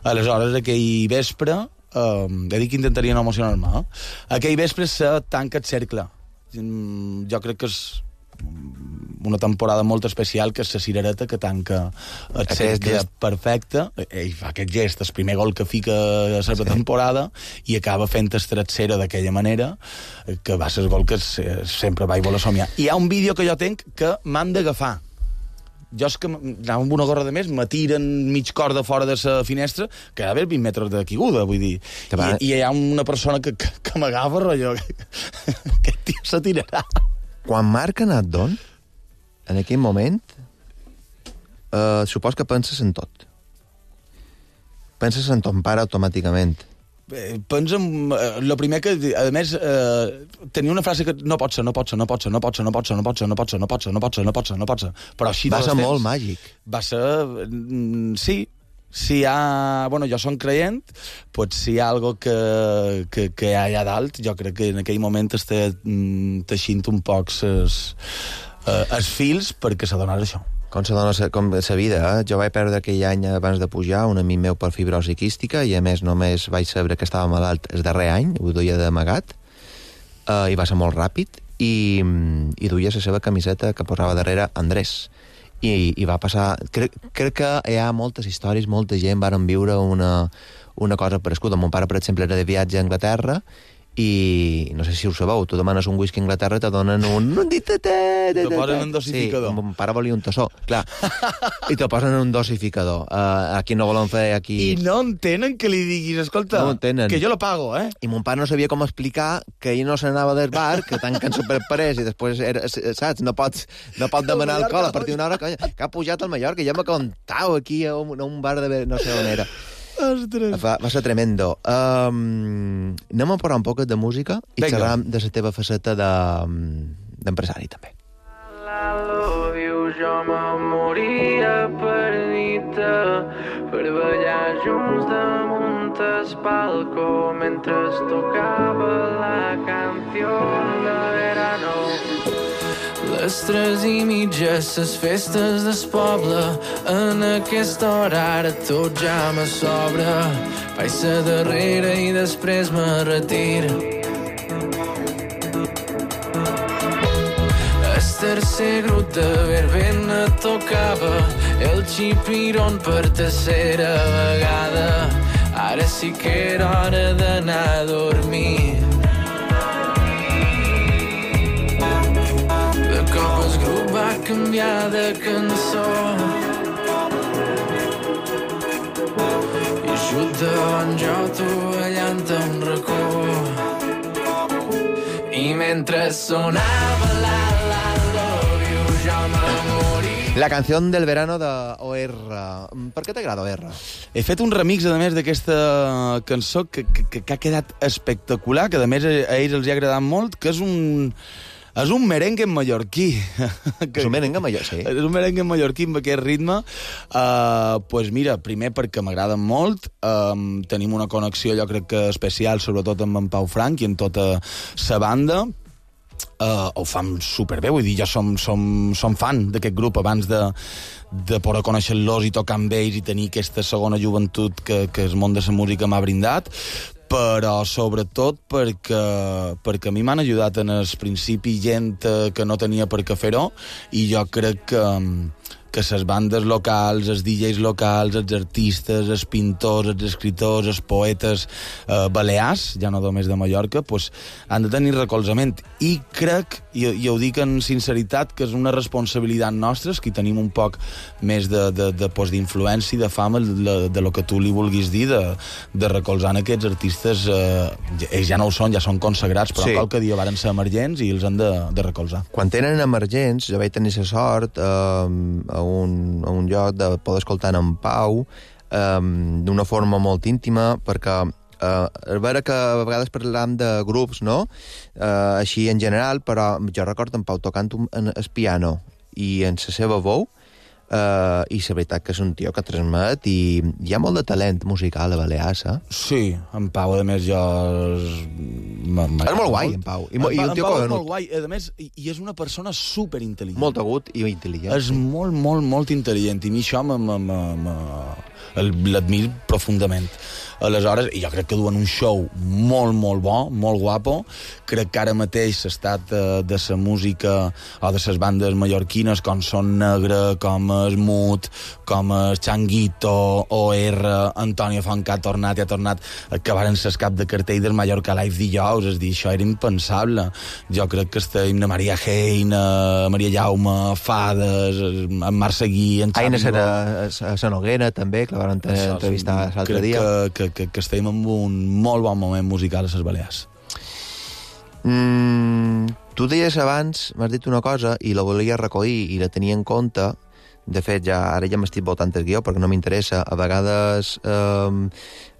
Aleshores, aquell vespre, he dit que intentaria no emocionar-me, aquell vespre se tanca el cercle. Jo crec que és una temporada molt especial, que és la cirereta que tanca el cercle perfecte. Ell fa aquest gest, el primer gol que fica a la temporada, i acaba fent el 3-0 d'aquella manera, que va ser el gol que sempre vaig voler somiar. I hi ha un vídeo que jo tenc que m'han d'agafar. Jo és que anava amb una gorra de més, me tiren mig cor de fora de la finestra, que ha d'haver 20 metres de caiguda, vull dir. I hi ha una persona que m'agafa, rotllo, aquest tio se tirarà. Quan marca Nabdon, en aquell moment, supos que penses en tot. Penses en ton pare automàticament. Pensa en... el primer que... A més, tenia una frase que no pot ser. Però així va ser molt màgic. Va ser... Sí. Si hi ha... Bueno, jo som creient, pues si hi ha algo que hi ha allà dalt, jo crec que en aquell moment està teixint un poc els fils perquè s'adonés això. Com s'adona com la vida, eh? Jo vaig perdre aquell any abans de pujar un amic meu per fibrosi quística, i a més només vaig saber que estava malalt el darrer any, ho duia d'amagat, i va ser molt ràpid, i duia la seva camiseta que posava darrere Andrés. I va passar... Crec que hi ha moltes històries, molta gent varen viure una cosa parescuda. Mon pare, per exemple, era de viatge a Anglaterra, i no sé si ho sabeu, tu demanes un whisky a Anglaterra, te donen un... Te posen un dosificador. Sí, mon pare volia un tassó, clar. I te posen un dosificador. Aquí no volen fer... aquí. I no entenen que li diguis, escolta, no que jo lo pago, eh? I mon pare no sabia com explicar que ell no s'anava del bar, que tanquen superparés, i després, saps, no pot demanar alcohol a partir d'una hora, que ha pujat al Mallorca, ja me contau aquí a un bar de... no sé on era. Ostres. Va ser tremendo. Anem a parlar un poc de música i xerram de la teva faceta d'empresari, també. Jo me moria per dir-te, per ballar junts damunt el palco mentre tocava la canció de verano. Les 3:30, les festes del poble, en aquesta hora ara tot ja me sobra. Vaig ser darrere i després me retiro. El tercer grup de verbena tocava el xipirón per tercera vegada. Ara sí que era hora d'anar a dormir. De cop el grup va canviar de cançó i just davant jo tovallant a un racó. I mentre sonava la love you jo me moria. La canció del verano de OR. Per què t'agrada OR? He fet un remix, a més, d'aquesta cançó que ha quedat espectacular, que a més a ells els ha agradat molt, que és un merengue mallorquí. És un merengue mallorquí, sí? És un merengue mallorquí amb aquest ritme. Pues mira, primer perquè m'agraden molt, tenim una connexió, jo crec que especial, sobretot amb en Pau Frank i amb tota la banda. Ho fan superbé, vull dir, jo som fan d'aquest grup abans de poder conèixer-los i tocar amb ells i tenir aquesta segona joventut que el món de la música m'ha brindat, però sobretot perquè a mi m'han ajudat en el principi gent que no tenia per què fer-ho, i jo crec que les bandes locals, els DJs locals, els artistes, els pintors, els escriptors, els poetes balears, ja no només de Mallorca, pues, han de tenir recolzament. I crec, i ho dic en sinceritat, que és una responsabilitat nostra, que tenim un poc més d'influència i de fama de lo que tu li vulguis dir, de recolzar aquests artistes. Ells ja no ho són, ja són consagrats, però sí, qualque dia varen ser emergents i els han de recolzar. Quan tenen emergents, jo vaig tenir la sort a un lloc de poder escoltar en Pau d'una forma molt íntima, perquè és vera que a vegades parlam de grups, no? Així en general, però jo recordo en Pau tocant el piano i en la seva veu, i la veritat que és un tio que transmet, i hi ha molt de talent musical a Balears, eh? Sí, en Pau, a més, jo És molt guai, en Pau. I un tio Pau és molt guai. A més, i és una persona superintel·ligent. Molt agut i intel·ligent. És molt, molt, molt intel·ligent. I a mi això l'admiro profundament. Aleshores, i jo crec que duen un show molt, molt bo, molt guapo. Crec que ara mateix l'estat de la música o de les bandes mallorquines, com Son Negre, com es Mut, com es Changuito, OR, Antonio Font, que ha tornat, que varen ser cap de cartell del Mallorca Live dijous, és dir, això era impensable. Jo crec que estem a Maria Hein, a Maria Jaume, Fades, en Marc Seguí, en Aina serà a la Noguera, també, que la van entrevistar l'altre dia. Crec que estem en un molt bon moment musical a les Balears. Tu deies abans, m'has dit una cosa, i la volia recollir, i la tenia en compte. De fet, ara ja m'estic voltant el guió, perquè no m'interessa. A vegades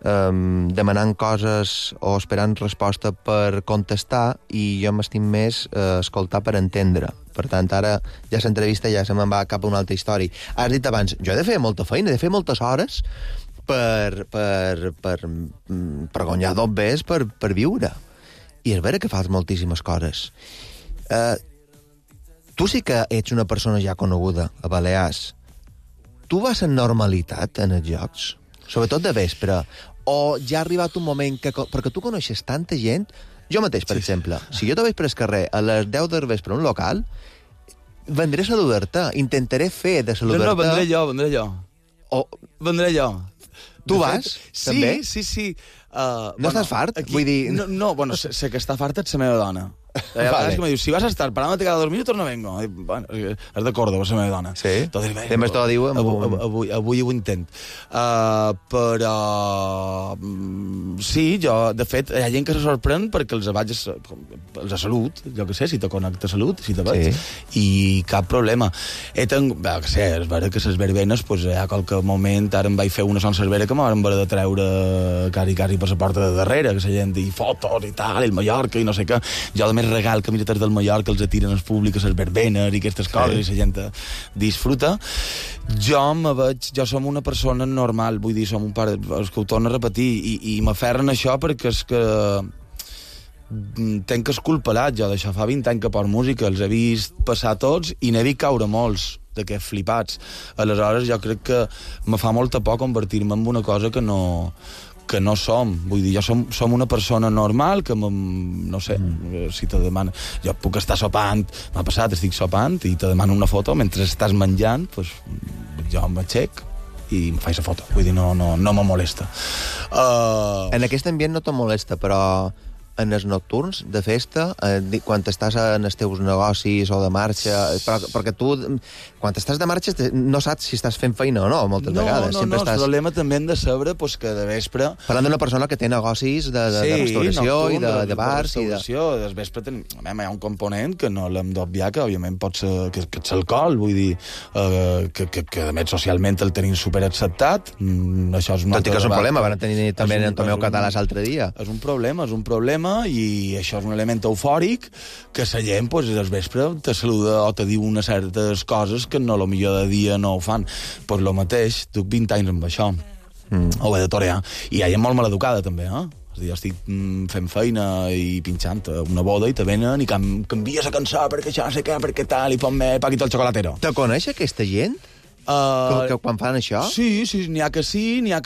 demanant coses o esperant resposta per contestar, i jo m'estic més escoltar per entendre. Per tant, ara ja l'entrevista ja se me'n va cap a una altra història. Has dit abans, jo he de fer molta feina, he de fer moltes hores per guanyar dobbers, per viure. I és vera que fas moltíssimes coses. Tu sí que ets una persona ja coneguda a Balears. Tu vas en normalitat en els jocs? Sobretot de vespre. O ja ha arribat un moment que... Perquè tu coneixes tanta gent... Jo mateix, per exemple, si jo te veig per el carrer a les 10 del vespre a un local, vendré a saludar-te. Intentaré fer de saludar-te... No, vendré jo. Vendré jo. Tu vas, també? Sí. No estàs fart? Vull dir... No, bueno, sé que està farta és la meva dona. Vale. Que me diu, si vas a estar parándote cada 2 minutos no vengo. Bueno, és de Córdoba, la meva dona. Sí? També t'ho diu... Avui ho intent. Però... Sí, jo, de fet, hi ha gent que se sorprèn perquè els vaig a salut, jo què sé, si te connecta a salut, si te veig, i cap problema. És vera que les verbenes, hi ha qualque moment, ara em vaig fer una sola cervera que m'han de treure quasi per la porta de darrere, que la gent di fotos i tal, el Mallorca i no sé què. Jo, de més regal que mirates del Mallorca els atiren als públics, les verbenes i aquestes coses, i la gent disfruta. Jo som una persona normal, vull dir, som un pare, és que ho torno a repetir, i m'aferren això perquè és que tenc esculpelat jo d'això, fa 20 anys que porto música, els he vist passar tots i n'he vist caure molts d'aquests flipats. Aleshores jo crec que me fa molta por convertir-me en una cosa que no som. Vull dir, jo som una persona normal que, no sé, si te demana... Jo puc estar sopant, m'ha passat, estic sopant i te demano una foto mentre estàs menjant, doncs jo m'aixec i em faig la foto. Vull dir, no me molesta. En aquest ambient no te molesta, però en els nocturns de festa, quan estàs en els teus negocis o de marxa, perquè tu, quan estàs de marxa, no saps si estàs fent feina o no, moltes vegades. No, el problema també hem de saber que de vespre... Parlant d'una persona que té negocis de restauració i de bars... Sí, de vespre hi ha un component que no l'hem d'obviar, que òbviament pot ser que és l'alcohol, vull dir, que a més socialment el tenim superacceptat. Això és tot i que és un problema, van tenir també en Tomeu Català l'altre dia. És un problema, i això és un element eufòric que la gent, al vespre, te saluda o te diu unes certes coses que no, millor de dia no ho fan. Pues lo mateix, duc 20 anys amb això. Ho he de torear. I hi ha gent molt maleducada, també, És a dir, jo estic fent feina i pinxant una boda i te venen i canvia la cançó perquè això no sé què, perquè tal, i ponme Paquito el Chocolatero. Te coneix aquesta gent? Que quan fan això? Sí, n'hi ha que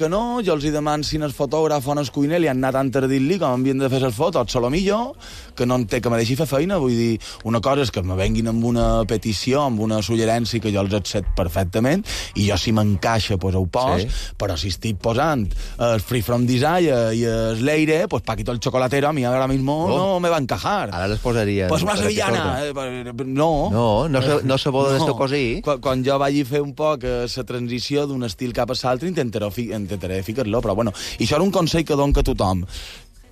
no. Jo els hi demano si el fotògraf o el cuiner li han anat tant a dir-li com havien de fer les fotos, solomillo, que no en té que me deixi fer feina. Vull dir, una cosa és que me venguin amb una petició, amb una suggerència que jo els accepto perfectament, i jo si m'encaixa, ho pos, però si estic posant el Free From Desire i el Leire, Paquito el Chocolatero a mi ara mismo no me va a encajar. Ara les posaria... una sevillana. No se boda d'esto cosí. Quan jo vagi fer un poc que la transició d'un estil cap a l'altre intentaré ficar-lo, però bueno, i això era un consell que dono a tothom.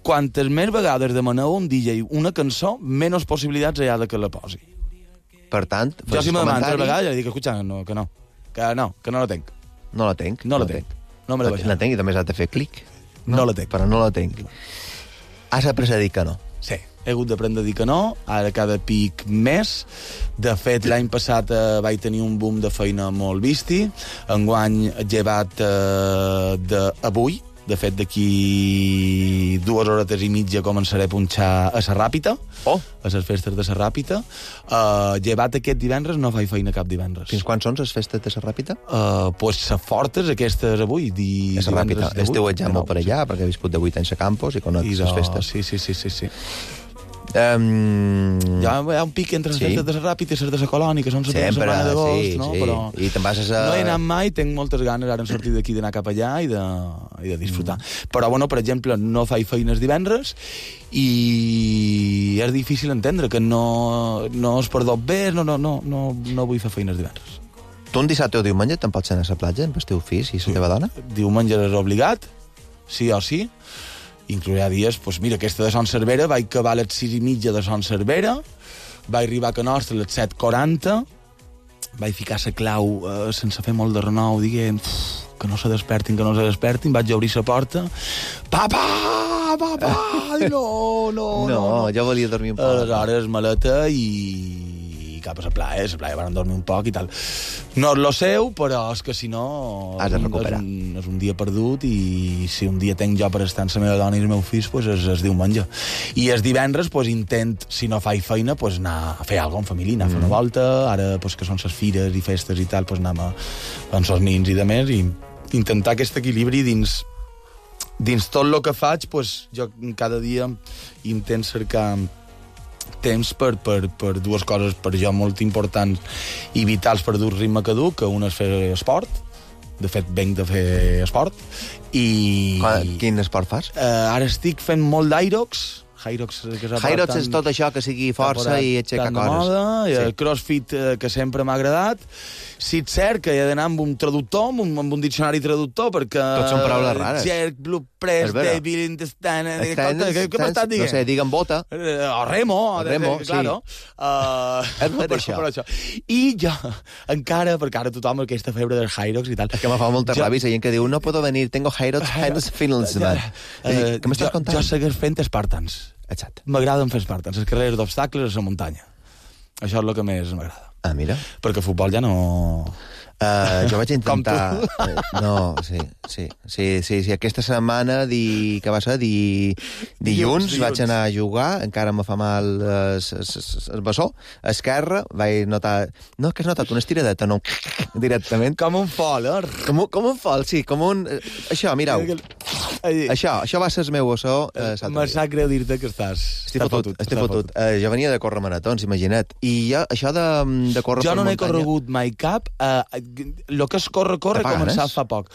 Quantes més vegades demaneu a un DJ una cançó, menys possibilitats hi ha que la posi. Per tant, jo si me demanen 3 vegades, dic, escucha, que no la tenc. No la tenc. No me la baixaré. La tenc i també has de fer clic. No la tenc. Però no la tenc. Has après a dir que no. Sí. He hagut d'aprendre a dir que no, ara cada pic més. De fet, l'any passat vaig tenir un boom de feina molt visti. Enguany, llevat d'avui, De fet, d'aquí 2 horetes i mitja començaré a punxar a la Ràpita, a les festes de la Ràpita. Llevat aquest divendres no faig feina cap divendres. Fins quan són les festes de la Ràpita? Pues les fortes, aquestes avui. A la Ràpita. Esteu ja molt per allà, perquè he viscut de 8 anys a Campos i conec les festes. Sí. Hi ha un pic entre les festes de la Ràpida i les de la Colònia, que són la setmana d'agost, no? Però I te'n vas a... no he anat mai, tinc moltes ganes ara en sortir d'aquí d'anar cap allà i de disfrutar. Però, bueno, per exemple, no faig feines divendres i és difícil entendre que no es perdó bé, no vull fer feines divendres. Tu un dissabte o diumenge te'n pots anar a la platja amb el teu fill i la teva dona? Diumenge és obligat, sí o sí. Inclourà dies, doncs mira, aquesta de Son Cervera, vaig acabar a les 6:30 de Son Cervera, vaig arribar a Can Nostra a les 7:40, vaig ficar la clau sense fer molt de renou, dient que no se despertin, vaig obrir la porta, papa, no, jo volia dormir un poc. Aleshores, maleta i cap a la playa van dormir un poc i tal. No és lo seu, però és que si no has de recuperar. És un dia perdut i si un dia tenc jo per estar amb la meva dona i els meus fills, pues es diumenge. I els divendres pues, intent, si no faig feina, pues, anar a fer alguna cosa en família, anar a fer una volta, ara pues, que són les fires i festes i tal, pues, anem amb els nins i de més, i intentar aquest equilibri dins tot el que faig, pues, jo cada dia intent cercar temps per dues coses per jo molt importants i vitals per dur ritme caduc, que una és fer esport. De fet, venc de fer esport. Quin esport fas? Ara estic fent molt d'Irox. Hyrox és tot això que sigui força i aixecar coses. Sí. Crossfit, que sempre m'ha agradat. Sí, és cert que he d'anar amb un traductor, amb un diccionari traductor, perquè... Tots són paraules rares. Jerk, blue press, débil, intestine... Què m'estàs dient? No sé, digue'm bota. O remo, claro. És per això. I jo, encara, perquè ara tothom aquesta febre dels Hyrox i tal... És que me fa molta ràbia, gent que diu, no puedo venir, tengo Hyrox feelings, man. Què m'estàs contant? Jo segueix fent Spartans. Exacte. M'agraden fer Spartans, les carreres d'obstacles a la muntanya. Això és el que més m'agrada. Ah, mira. Perquè futbol ja no... Jo vaig intentar... No, sí. Aquesta setmana, que va ser dilluns, vaig anar a jugar, encara me fa mal el bessó, esquerra, vaig notar... No, que has notat una estiradeta, no, directament. Com un fol, Com un fol, sí, com un... Això, mireu. Això va ser el meu bessó. Me sap greu dir-te que estàs... Estic fotut. Jo venia de córrer maratons, imagina't. I jo, això de córrer per muntanya... Jo no n'he corregut mai cap. El que és córrer començat fa poc.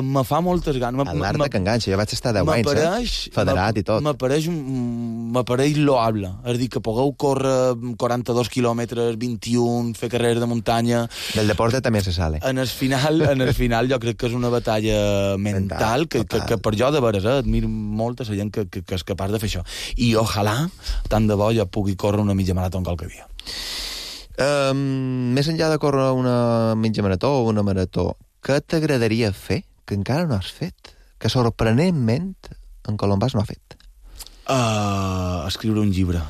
Me fa moltes ganes. L'art que enganxa, jo vaig estar 10 anys, federat i tot. M'apareix loable. És a dir, que pugueu córrer 42 quilòmetres, 21, fer carreres de muntanya... Del deporte també se sale. En el final jo crec que és una batalla mental que per jo de veres, admiro molt a la gent que és capaç de fer això. I ojalà, tant de bo, jo pugui córrer una mitja marató qualque dia. Més enllà de córrer una mitja marató o una marató, què t'agradaria fer que encara no has fet? Que sorprenentment en Colombàs no ha fet? Escriure un llibre.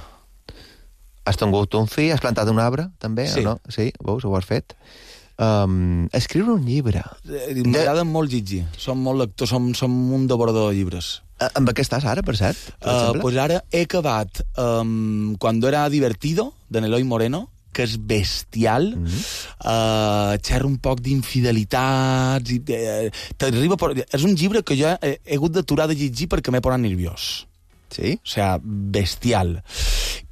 Has tingut un fill? Has plantat un arbre, també? Sí. O no? Sí, veus, ho has fet. Escriure un llibre. M'agrada molt llegir. Som molt lectors, som un devorador de llibres. Amb què estàs ara, per cert? Pues ara he acabat Cuando era divertido, de Eloy Moreno, que és bestial, xerra un poc d'infidelitats, és un llibre que jo he hagut d'aturar de llegir perquè m'he posat nerviós. Sí? O sigui, bestial.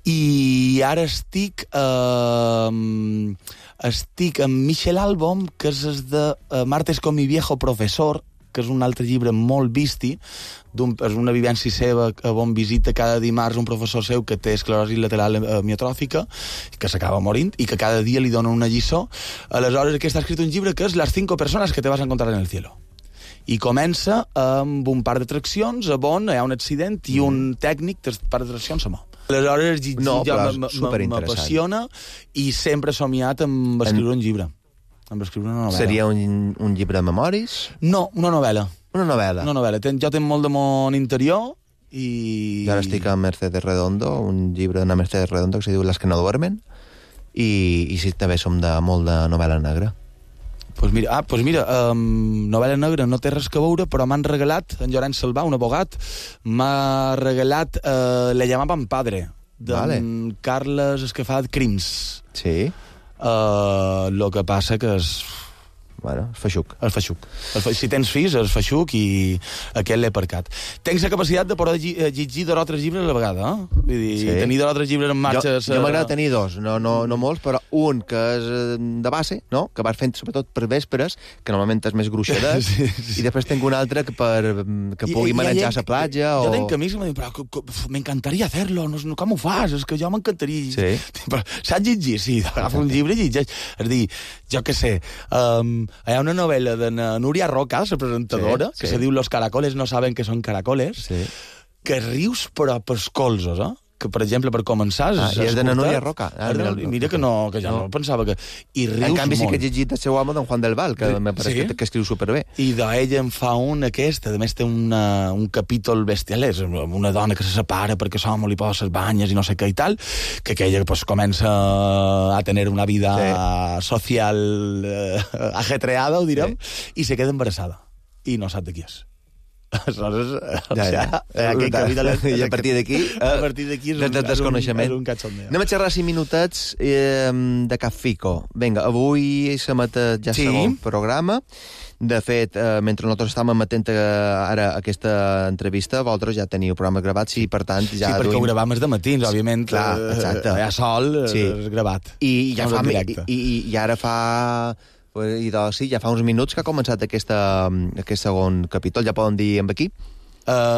I ara estic amb Michel Albom, que és de Martes con mi viejo profesor, que és un altre llibre molt visti, és una vivència seva on visita cada dimarts un professor seu que té esclerosi lateral amiotròfica, que s'acaba morint, i que cada dia li dona una lliçó. Aleshores, aquí està escrit un llibre que és Les 5 persones que te vas a encontrar en el cielo. I comença amb un parc d'atraccions on hi ha un accident i un tècnic del parc d'atraccions se mou. Aleshores, m'apassiona i sempre he somiat amb escriure un llibre. Amb escriure una novel·la. Seria un llibre de memoris? No, una novel·la. Una novel·la. Jo tinc molt de món interior i... Jo ara estic a Mercedes Redondo, un llibre d'una Mercedes Redondo que se diu Las que no duermen, i sí, també som molt de novel·la negra. Pues mira, novel·la negra no té res que veure, però m'han regalat, en Llorenç Salvà, un abogat, m'ha regalat Le llamaban padre, d'en Carles Escafat Crims. Sí. Lo que passa que és... Bueno, és feixuc. El feixuc. Si tens fills, és feixuc i aquest l'he aparcat. Tens la capacitat de poder llegir 2 o 3 llibres a la vegada, eh? Vull dir, tenir 2 o 3 llibres en marxa... Jo m'agrada tenir 2, no molts, però un que és de base, no? Que vas fent sobretot per vespres, que normalment és més gruixadet, i després tinc un altre que pugui manejar a la platja o... Jo tenc amics que m'han dit, però m'encantaria fer-lo, no, com ho fas? És que jo m'encantaria... Sí. Però saps llegir? Sí, agafa un llibre i llegeix. És a dir, jo què sé... hi ha una novel·la de Núria Roca, la presentadora, que se diu Los caracoles no saben que són caracoles, que rius però pels colzos, que, per exemple, per començar... I és de Núria Roca. Mira que ja no pensava que... I rius molt. En canvi, sí que he llegit el seu home, d'en Juan del Val, que me pareix que escriu superbé. I d'ella en fa un aquest, a més té un capítol bestial, és una dona que se separa perquè l'home li posa les banyes i no sé què i tal, que aquella pues, comença a tenir una vida social ajetreada, ho direm, i se queda embarassada. I no sap de qui és. Aleshores, i a partir d'aquí és un cachondeo. Anem a xerrar 5 minutets de Cafico. Vinga, avui s'emet ja el segon programa. De fet, mentre nosaltres estàvem emetent ara aquesta entrevista, vosaltres ja teniu programes gravats i, per tant, ja... Sí, perquè ho gravàvem de matins, òbviament. Clar, exacte. Hi ha sol, és gravat. I ara fa... I doncs sí, ja fa uns minuts que ha començat aquest segon capítol. Ja poden dir amb aquí?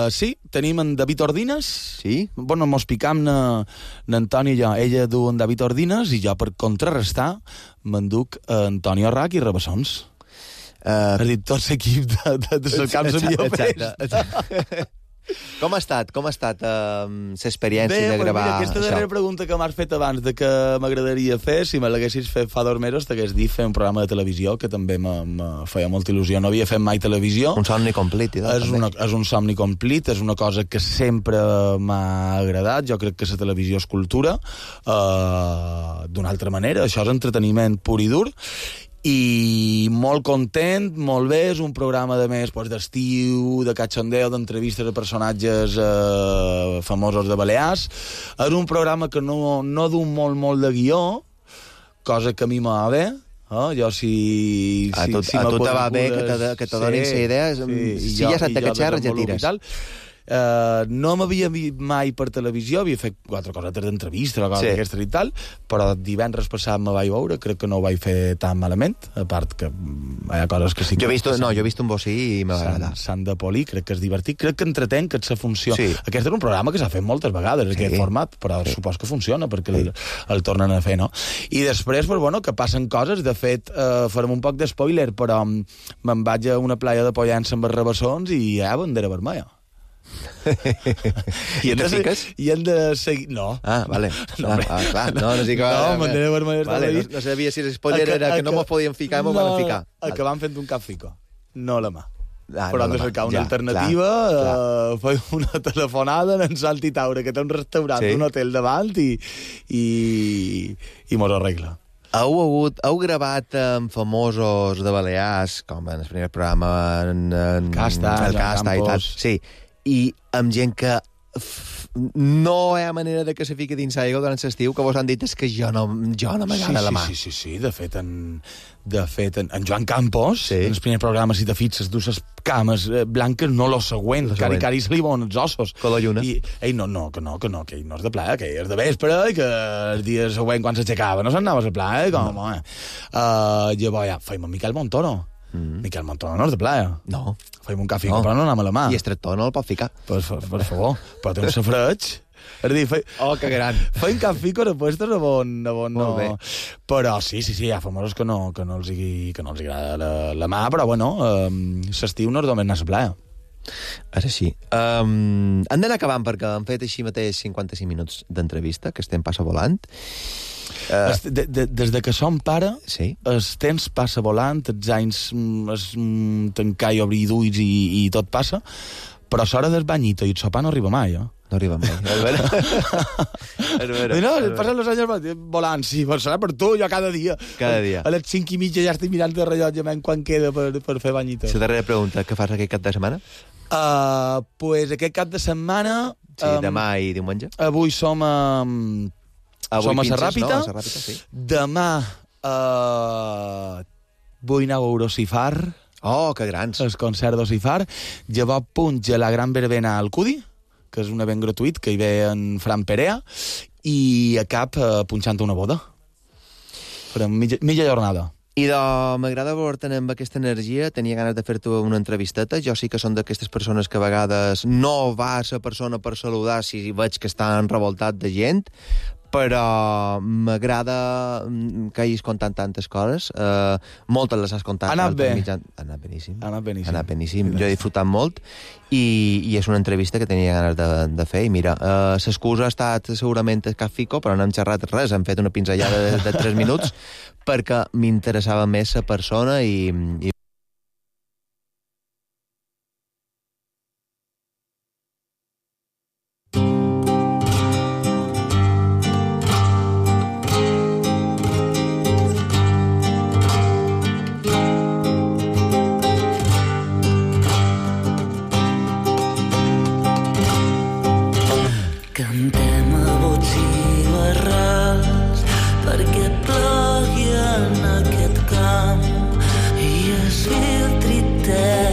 Sí, tenim en David Ordines. Sí? Bueno, mos picam n'Antoni i jo. Ella du en David Ordines i jo, per contrarrestar, m'enduc Antonio Rac i Rabassons. És a dir, tot l'equip de Camps de Millopers. Exacte. Com ha estat l'experiència de gravar mira, aquesta darrera pregunta que m'has fet abans de que m'agradaria fer, si me l'haguessis fet fa 2 mesos, t'hagués dit fer un programa de televisió, que també me feia molta il·lusió. No havia fet mai televisió. Un somni complit. És un somni complit, és una cosa que sempre m'ha agradat. Jo crec que la televisió és cultura. D'una altra manera, això és entreteniment pur i dur. I molt content, molt bé, és un programa de més d'estiu, de cachondeo, d'entrevistes a personatges famosos de Balears. És un programa que no du molt de guió, cosa que a mi m'ha bé. Jo si a tu te va bé que te donin la idea, si ja saps que xerres ja tires. No m'havia vist mai per televisió, havia fet 4 cosetes d'entrevista, d'aquestes i tal, però divendres passat me vaig veure, crec que no ho vaig fer tan malament, a part que hi ha coses que sí que... Jo he vist un bocí i m'ha agradat. Sant de Poli, crec que és divertit, crec que entretenc, que et funció. Aquest és un programa que s'ha fet moltes vegades, aquest format, però supos que funciona, perquè el tornen a fer, no? I després, que passen coses, de fet, farem un poc de spoiler, però me'n vaig a una playa de Pollença amb els Rabassons i hi ha bandera vermella. I te fiques? I hem de seguir... No. Vale. No sé que... bandera vermella està no sabia si l'espoiler era que no mos podíem ficar, mos van ficar. Acabam fent un Cafico, no la mà. Però hem de cercar una alternativa, fer una telefonada en Salti Taure, que té un restaurant, un hotel davant, i mos arregla. Heu gravat amb famosos de Balears, com en el primer programa, en Casta i tal. Sí, i amb gent que no hi ha manera de que se fiqui dins aigua durant l'estiu, que vos han dit és que jo no m'agrada la mà. Sí. De fet, en Joan Campos, en el primer programa, si te fixes, du les cames blanques, no lo següent. Cari se li veuen els ossos. Color lluna. I ell que no és de playa, que és de vespre, i que el dia següent, quan s'aixecava, no s'anava a la playa, llavors ja feim amb Miquel Montoro. Miquel Montoro no és de playa. No. Feim un Cafico, però no anem a la mà. I estrictor no el pot ficar. Per favor. Però té un safreig. És a dir, que gran. Feim Cafico de puestos on no... Bé. Però sí, hi ha famosos que no els agrada la mà, però l'estiu no és només anar a la playa. És així. Hem d'anar acabant perquè hem fet així mateix 55 minuts d'entrevista, que estem passa volant. Des de que som pare, el temps passa volant, els anys tancar i obrir d'ulls i tot passa, Però l'hora del banyito i el sopar no arriba mai, No arriba mai. És vera. No, passen els anys volant, sí, però serà per tu, jo cada dia. Cada dia. A les 5:30 ja estic mirant el rellotge quan queda per fer banyito. La darrera pregunta, què fas aquest cap de setmana? Pues aquest cap de setmana... Sí, demà i diumenge. Avui som a No? Serràpita. A Serràpita, sí. Demà vull anar a Eurocifar. Oh, que grans. El concert d'Ocifar. Llavors punja la gran verbena al Cudi, que és un event gratuït, que hi ve en Fran Perea, i a cap punxant una boda. Farem mitja jornada. I m'agrada veure-te amb aquesta energia, tenia ganes de fer-te una entrevisteta, jo sí que són d'aquestes persones que a vegades no va a la persona per saludar si veig que estan revoltat de gent, però m'agrada que hagis contat tantes coses, moltes les has contat. Ha anat bé. Ha anat beníssim. Ha anat beníssim. Ha anat beníssim. Jo he disfrutat molt i és una entrevista que tenia ganes de fer. I mira, l'excusa ha estat segurament el Cafico, però no hem xerrat res, hem fet una pinzellada de 3 minuts perquè m'interessava més la persona i cantem a bots i barrals perquè plogui en aquest camp i es filtri terra